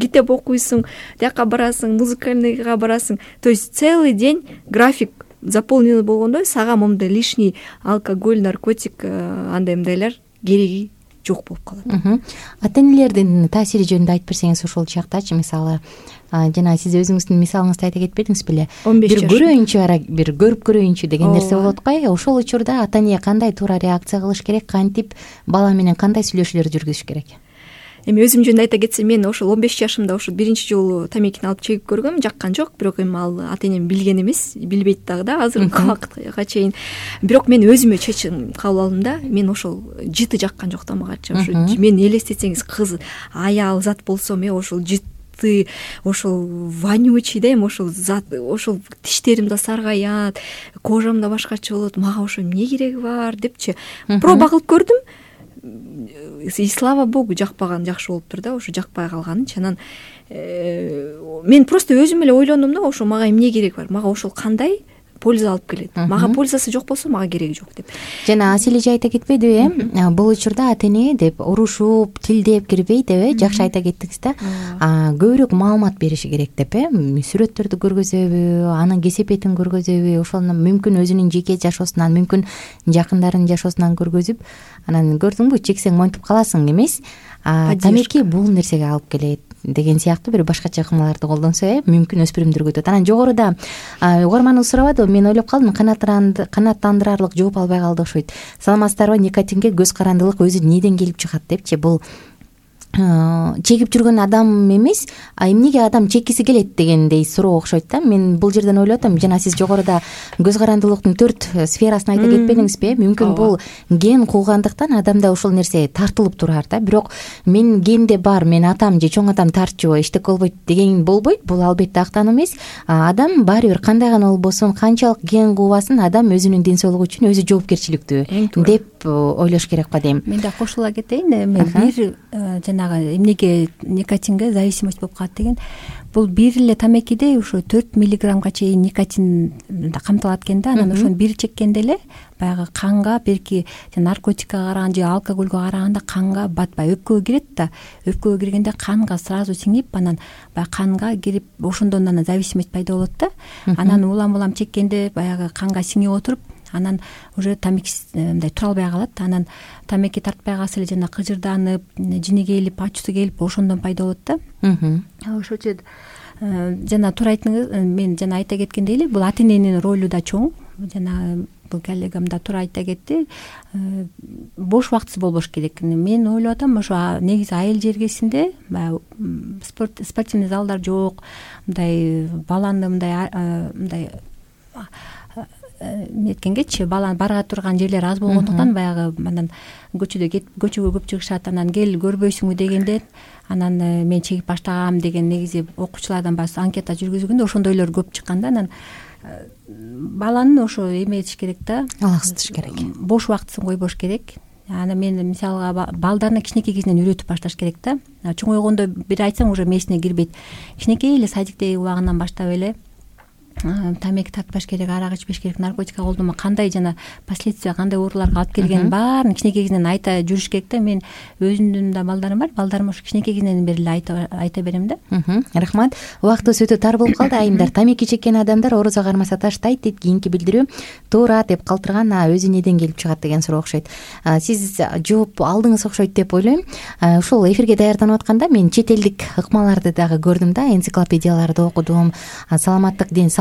китеп окуйсуң, тияка барасың, музыкальныйга барасың. То есть целый день график заполненный болгондо сага момундай лишний алкоголь, наркотик, андай мындайлар кереги жок болуп калат. Ата энелердин таасири жөнүндө айтып берсеңиз ошол жактачы. Мисалы, жана сиз өзүңүздүн мисалыңызды айта кетпедиңиз беле? Бир көрөйүнчү, бир көрүп көрөйүнчү деген нерсе болот го. Ошол учурда ата эне кандай туура реакция кылыш керек, кантип бала менен кандай сүйлөшүүлөр жүргүзүш керек? Эми өзүм жөнүндө айта кетсем, мен ошол 15 жашымда ошо биринчи жолу тамекини алып чегип көргөм, жаккан жок. Бирок эми ал ата энем билген эмес, билбейт дагы да азыркы убакытка чейин. Бирок мен өзүмө чечим кабыл алдым да. Мен ошол жыты жаккан жок да магачы. Ошо мен элестетсеңиз, кыз, аял зат болсом, ошол жыты, ошол вонючий да, эми ошол зат, ошол тиштерим да саргаят, кожам да башкача болот. Мага ошо эмне кереги бар депчи. Проба кылып көрдүм. И слава богу, жакпаган жакшы болуптур да, ошо жакпай калганычы. Анан мен просто өзүм эле ойлондум да, ошо мага эмне керек бар, мага ошол кандай польза алып келет. Мага пользасы жок болсо мага кереги жок деп. Жана Аселе айта кетпедиби, бул учурда ата эне деп урушуп, тилдеп кирбей деп, жакшы айта кеттиңиз да. Көбүрөөк маалымат бериши керек деп, сүрөттөрдү көргөзөбү, анын кесепетин көргөзөбү, ошону мүмкүн өзүнүн жеке жашоосунан, мүмкүн жакындарынын жашоосунан көргөзүп, анан көрдүңбү, чексең монтип каласың эмес. Тамеки бул нерсеге алып келет деген сыяктуу бир башкача ыкмаларды колдонсо, мүмкүн өспүрүмдөргө өтөт. Анан жогоруда угарманыбыз сурабады, мен ойлоп калдым, канааттандырарлык жооп албай калды окшойт. Саламатсыздарбы, никотинге көз карандылык өзү эмнеден келип чыгат депчи. Бул чегип жүргөн адам эмес, эмнеге адам чеккиси келет дегендей суроо окшойт да. Мен бул жерден ойлоп атам, жана сиз жогоруда көз карандылыктын 4 сферасын айта кетпедиңизби? Мүмкүн бул ген куугандыктан адамда ошол нерсе тартылып турар да. Бирок мен генде бар, мен атам же чоң атам тартчу, эчтеке болбойт деген болбойт. Бул албетте актануу эмес. Адам баары бир кандай гана болбосун, канчалык ген куубасын, адам өзүнүн ден соолугу үчүн өзү жоопкерчиликтүү деп ойлош керек го дейм. Мен да кошула кетейин. Мен бир жанагы эмнеге никотинге зависимость болуп калат деген, бул бир эле тамекиде ошо 4 миллиграммга чейин никотин камтылат экен да. Анан ошону бир чеккенде эле баягы канга, берки наркотикке караганда же алкогольге караганда канга батпай өпкөгө кирет да. Өпкөгө киргенде канга сразу сиңип, анан баягы канга кирип, ошондон анан зависимость пайда болот да. Анан улам чеккенде баягы канга сиңип отуруп, анан уже тамеки мындай тура албай калат. Анан тамеки тартпай калса эле жана кыжырданып, жини келип, ачуусу келип, ошондон пайда болот да. Ошочу жана туура айттыңыз. Мен жана айта кеткендей эле, бул ата эненин ролу да чоң. Жана бул коллегам да туура айта кетти. Бош убактысы болбош керек. Мен ойлоп атам, ошо негизи айыл жергесинде баягы спортивный залдар жок, мындай баланы мындай эметкенгечи баланы барга турган жерлер аз болгондуктан баягы анан көчөгө көп чыгышат, анан кел көрбөйсүңбү дегенде анан мен чегип баштагам деген негизи окуучулардан баягы анкета жүргүзгөндө ошондойлор көп чыккан да. Анан баланын ошо эметиш керек да, алаксытыш керек, бош убактысын койбош керек. Анан мен мисалга балдарына кичинекей кезинен үйрөтүп башташ керек да. Чоңойгондо бир айтсаң уже мээсине кирбейт. Кичинекей эле садиктеги убагынан баштап эле тамеки тартпаш керек, арак ичпеш керек, наркотикка колдонмо кандай жана последствия кандай ооруларга алып келгенин баарын кичинекей кезинен айта жүрүш керек да. Мен өзүмдүн да балдарым бар, балдарыма ошо кичинекей кезинен бери эле айта берем да. Рахмат. Убактыбыз өтө тар болуп калды. Айымдар, тамеки чеккен адамдар оорузга кармаса таштайт дейт. Кийинки билдирүү туура деп калтырган өзү неден келип чыгат деген суроо окшойт. Сиз жооп алдыңыз окшойт деп ойлойм. Ушул эфирге даярданып атканда мен чет элдик ыкмаларды дагы көрдүм да, энциклопедияларды окудум.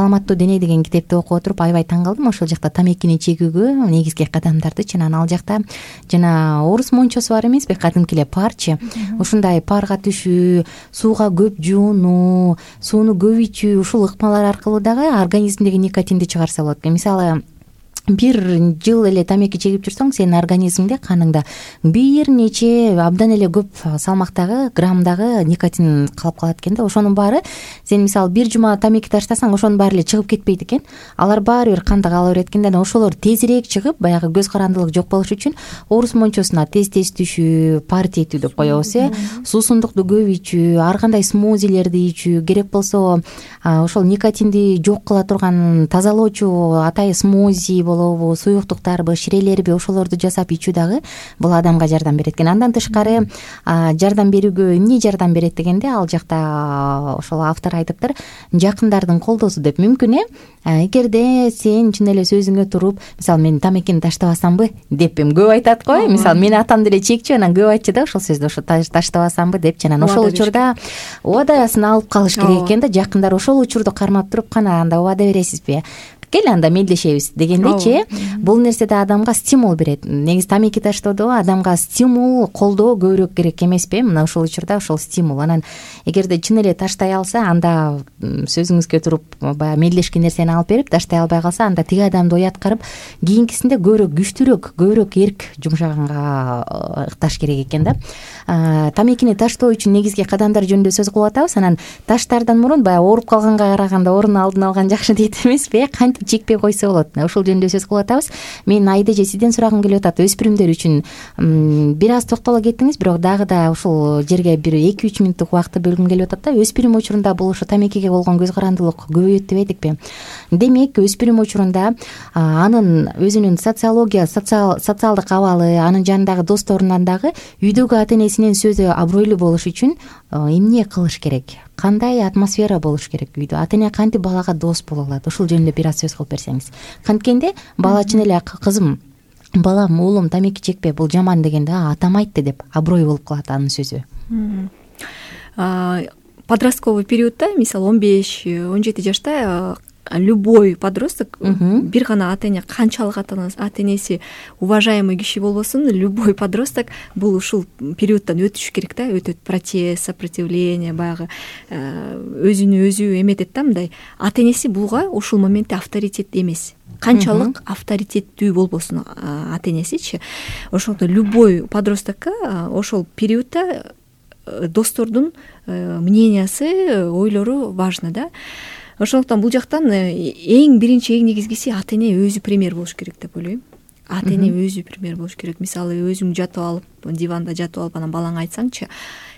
Саламаттуу дене деген китепти окуп отуруп аябай таң калдым. Ошол жакта тамекини чегүүгө негизги кадамдарды анан ал жакта жана орус мончосу бар эмеспи, кадимки эле парчы. Ушундай парга түшүү, сууга көп жуунуу, сууну көп ичүү, ушул ыкмалар аркылуу дагы организмдеги никотинди чыгарса болот. Мисалы бир жыл эле тамеки чегип жүрсөң, сенин организмиңде, каныңда бир нече абдан эле көп салмактагы, граммдагы никотин калып калат экен да. Ошонун баары сен мисалы бир жума тамеки таштасаң, ошонун баары эле чыгып кетпейт экен. Алар баары бир канда кала берет экен да. Ошолор тезирээк чыгып, баягы көз карандылык жок болуш үчүн орус мончосуна тез түшүү, парти этүү деп коебуз, суусундукту көп ичүү, ар кандай смузилерди ичүү, керек болсо ошол никотинди жок кыла турган тазалоочу атайы смузи болобу, суюктуктарбы, ширелерби, ошолорду жасап ичүү дагы бул адамга жардам берет экен. Андан тышкары жардам берүүгө эмне жардам берет дегенде, ал жакта ошол автор айтыптыр, жакындардын колдоосу деп. Мүмкүн эгерде сен чын эле сөзүңө туруп, мисалы мен тамекини таштабасамбы деп көп айтат го. Мисалы менин атам деле чекчү, анан көп айтчу да ошол сөздү, ошо таштабасамбы деп. Анан ошол учурда убадасын алып калыш керек экен да. Жакындар ошол учурду кармап туруп, кана анда убада бересизби, кел анда мелдешебиз дегендечи, бул нерсе да адамга стимул берет. Негизи тамеки таштоодо адамга стимул, колдоо көбүрөөк керек эмеспи? Мына ошол учурда ошол стимул. Анан эгерде чын эле таштай алса, анда сөзүңүзгө туруп баягы мелдешкен нерсени алып берип, таштай албай калса, анда тиги адамды уяткарып, кийинкисинде көбүрөөк күчтүүрөөк, көбүрөөк эрк жумшаганга ыкташ керек экен да. Тамекини таштоо үчүн негизги кадамдар жөнүндө сөз кылып атабыз. Анан таштардан мурун баягы ооруп калганга караганда орун алдын алган жакшы дейт эмеспи? Кантип чекпей койсо болот? Ошол жөнүндө сөз кылып атабыз. Мен Айдеже сизден сурагым келип атат. Өспүрүмдөр үчүн бир аз токтоло кеттиңиз, бирок дагы да ушул жерге бир 2-3 мүнөттүк убакытты бөлгүм келип атат да. Өспүрүм учурунда бул ошо тамекиге болгон көз карандылык көбөйөт деп айдыкпы? Демек, өспүрүм учурунда анын өзүнүн социалдык абалы, анын жанындагы досторунан дагы үйдөгү ата энесинин сөзү абройлуу болуш үчүн эмне кылыш керек? Кандай атмосфера болуш керек үйдө? Ата эне кантип балага дос боло алат? Ошол жөнүндө бир аз сөз кылып берсеңиз. Канткенде бала чын эле кызым, балам, уулум тамеки чекпе, бул жаман дегенде атам айтты деп аброй болуп калат анын сөзү. Подростковый периодда, мисалы 15-17 жашта любой подросток, бир гана ата эне, канчалык ата энеси уважаемый киши болбосун, любой подросток бул ушул периоддон өтүш керек да. Өтөт протест, сопротивление, баягы өзүнү өзү эметет да. Мындай ата энеси булга ушул моментте авторитет эмес. Канчалык авторитеттүү болбосун ата энесичи, ошондо любой подростокко ошол периодда достордун мнениясы, ойлору важно да. Ошондуктан бул жактан эң биринчи, эң негизгиси ата эне өзү пример болуш керек деп ойлойм. Ата эне өзү пример болуш керек. Мисалы өзүң жатып алып, диванда жатып алып, анан балаңа айтсаңчы,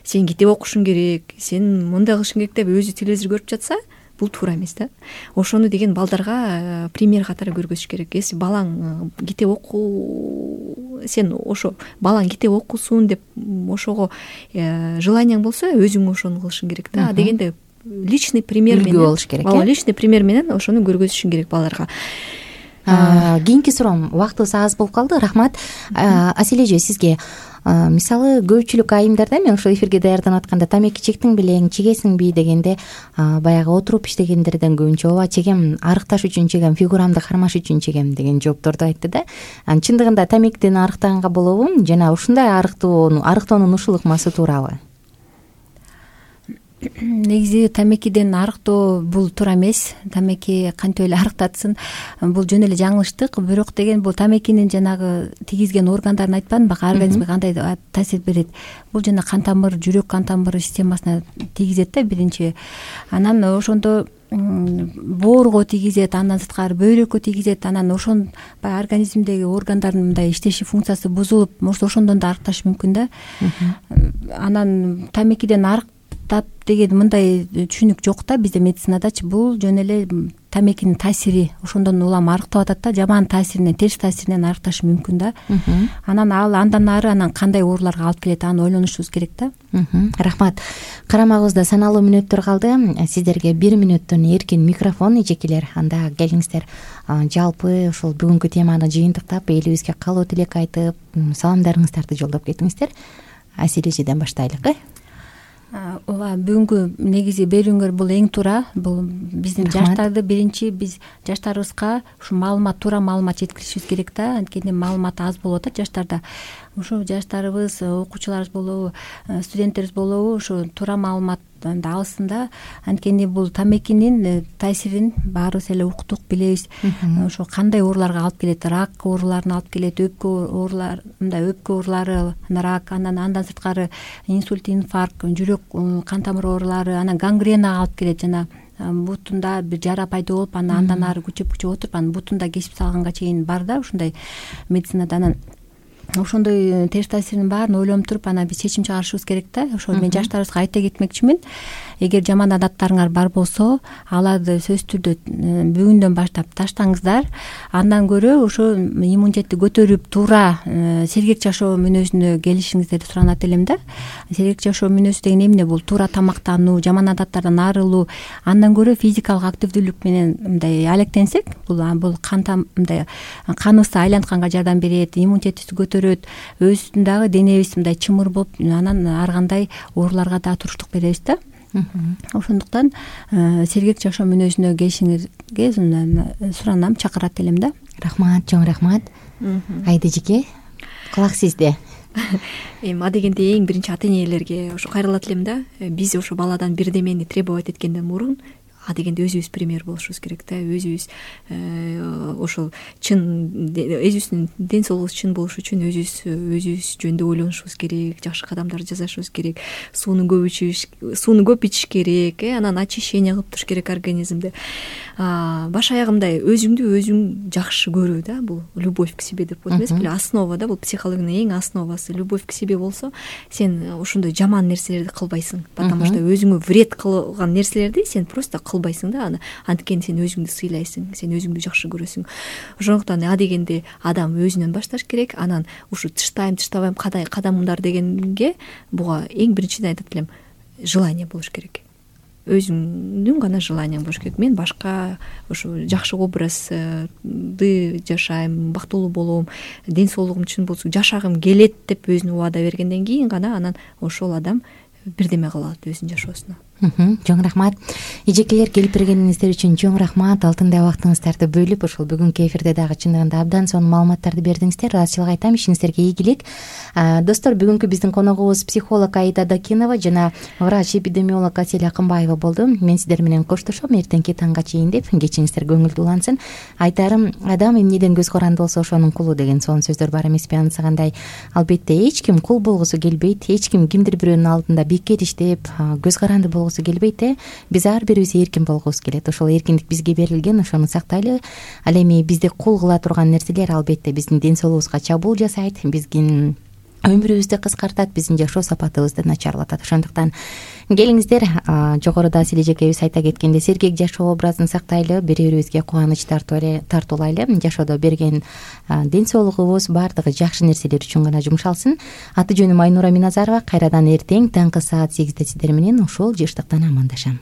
сен китеп окушуң керек, сен мындай кылышың керек деп өзү телевизор көрүп жатса, бул туура эмес да. Ошону деген балдарга пример катары көргөзүш керек. Если балаң китеп сен ошо балаң китеп окусун деп ошого желанияң болсо, өзүң ошону кылышың керек да. Дегенде личный пример менен болуш керек. Личный пример менен ошону көргөзүшүң керек балдарга. Кийинки суроом, убактыбыз аз болуп калды. Рахмат. Аселе эже, сизге мисалы көпчүлүк айымдарда мен ушул эфирге даярданып атканда тамеки чектиң белең, чегесиңби дегенде баягы отуруп иштегендерден көбүнчө ооба чегем, арыкташ үчүн чегем, фигурамды кармаш үчүн чегем деген жоопторду айтты да. Чындыгында тамекиден арыктаганга болобу жана ушундай арыктоонун ушул ыкмасы туурабы? Негизи тамекиден арыктоо бул туура эмес. Тамеки кантип эле арыктатсын, бул жөн эле жаңылыштык. Бирок деген бул тамекинин жанагы тийгизген органдарын айтпадымбы, организмге кандай таасир берет. Бул жана кан тамыр, жүрөк кан тамыр системасына тийгизет да биринчи. Анан ошондо боорго тийгизет, андан сырткары бөйрөккө тийгизет. Анан ошон баягы организмдеги органдардын мындай иштеши функциясы бузулуп, может ошондон да арыкташы мүмкүн да. Анан тамекиден деген мындай түшүнүк жок да бизде медицинадачы. Бул жөн эле тамекинин таасири ошондон улам арыктап атат да, жаман таасиринен, терс таасиринен арыкташы мүмкүн да. Анан андан ары кандай ооруларга алып келет, аны ойлонушубуз керек да. Рахмат. Карамагыбызда саналуу мүнөттөр калды. Сиздерге 1 мүнөттөн эркин микрофон, эжекелер. Анда келиңиздер. Жалпы ушул бүгүнкү теманы жыйынтыктап, элибизге каалоо тилек айтып, саламдарыңыздарды жолдоп кетиңиздер. Асил эжеден баштайлык. Ооба, бүгүнкү негизи берүүңөр бул эң туура. Бул биздин жаштарды биринчи биз жаштарыбызга ушу туура маалымат жеткиришибиз керек да. Анткени маалымат аз болуп атат жаштарда. Ушу жаштарыбыз, окуучуларыбыз болобу, студенттерибиз болобу, ушу туура маалымат алсын да. Анткени бул тамекинин таасирин баарыбыз эле уктук, билебиз. Ошо кандай ооруларга алып келет, рак ооруларына алып келет, өпкө оорулар, өпкө оорулары, рак, андан сырткары инсульт, инфаркт, жүрөк кан тамыр оорулары, анан гангренага алып келет. Жана бутунда бир жара пайда болуп, андан ары күчөп отуруп, анан бутунда кесип салганга чейин бар да ушундай медицинада. Анан ошондой терс таасиринин баарын ойлонуп туруп, анан биз чечим чыгарышыбыз керек да. Ошо мен жаштарыбызга айта кетмекчимин. Эгер жаман адаттарыңар бар болсо, аларды сөзсүз түрдө бүгүндөн баштап таштаңыздар. Андан көрө ошо иммунитетти көтөрүп, туура сергек жашоо мүнөзүнө келишиңиздерди суранат элем да. Сергек жашоо мүнөзү деген эмне? Бул туура тамактануу, жаман адаттардан арылуу. Андан көрө физикалык активдүүлүк менен мындай алектенсек, бул мындай каныбызды айлантканга жардам берет, иммунитетибизди көтөрөт, өзүбүздүн дагы денебиз мындай чымыр болуп, анан ар кандай ооруларга да туруштук беребиз да. Ошондуктан сергек жашоо мүнөзүнө келишиңизге суранам, чакырат элем да. Рахмат, чоң рахмат. Айда эжеке, кулак сизде. Эми адегенде эң биринчи ата энелерге ошо кайрылат элем да. Биз ошо баладан бирдемени требовать эткенден мурун адегенде өзүбүз пример болушубуз керек да. Өзүбүз ошол чын өзүбүздүн ден соолугубуз чын болуш үчүн өзүбүз жөнүндө ойлонушубуз керек, жакшы кадамдар жасашыбыз керек, сууну көп ичиш керек, анан очищение кылып туруш керек организмди. Баш аягымдай өзүңдү өзүң жакшы көрүү да, бул любовь к себе деп коет эмес беле, основа да, бул психологиянын эң основасы. Любовь к себе болсо, сен ошондой жаман нерселерди кылбайсың, потому что өзүңө вред кылган нерселерди сен просто кылбайсың да. Анткени сен өзүңдү сыйлайсың, сен өзүңдү жакшы көрөсүң. Ошондуктан адегенде адам өзүнөн башташ керек. Анан ушу тыштабайм кадамдар дегенге буга эң биринчиден айтат элем, желание болуш керек. Өзүңдүн гана желанияң болуш керек. Мен башка ушу жакшы образды жашайм, бактылуу болом, ден соолугум чын болсун, жашагым келет деп өзүнө убада бергенден кийин гана анан ошол адам бирдеме кыла алат өзүнүн жашоосуна. Чоң рахмат. Эжекелер, келип бергениңиздер үчүн чоң рахмат. Алтындай убактыңыздарды бөлүп ушул бүгүнкү эфирде дагы чындыгында абдан сонун маалыматтарды бердиңиздер. Ыраазычылык айтам, ишиңиздерге ийгилик. Достор, бүгүнкү биздин коногубуз психолог Аида Дакинова жана врач-эпидемиолог Асель Акынбаева болду. Мен сиздер менен коштошом, эртеңки таңга чейин деп. Кечиңиздер көңүлдүү улансын. Айтарым, адам эмнеден көз каранды болсо ошонун кулу деген сонун сөздөр бар эмеспи? Анысыгандай, албетте эч ким кул болгусу келбейт, эч ким кимдир бирөөнүн алдында бекер иштеп, көз каранды келбейт. Биз ар бирибиз эркин болгубуз келет. Ошол эркиндик бизге берилген, ошону сактайлы. Ал эми бизди кул кыла турган нерселер албетте биздин ден соолугубузга чабуул жасайт, биздин өмүрүбүздү кыскартат, биздин жашоо сапатыбызды начарлатат. Ошондуктан келиңиздер, жогоруда Асель эжекебиз айта кеткенде, сергек жашоо образын сактайлы, бири-бирибизге кубаныч тартуулайлы. Жашоодо берген ден соолугубуз баардыгы жакшы нерселер үчүн гана жумшалсын. Аты жөнүм Айнура Миназарова. Кайрадан эртең таңкы саат 8-де сиздер менен ушул жыштыктан амандашам.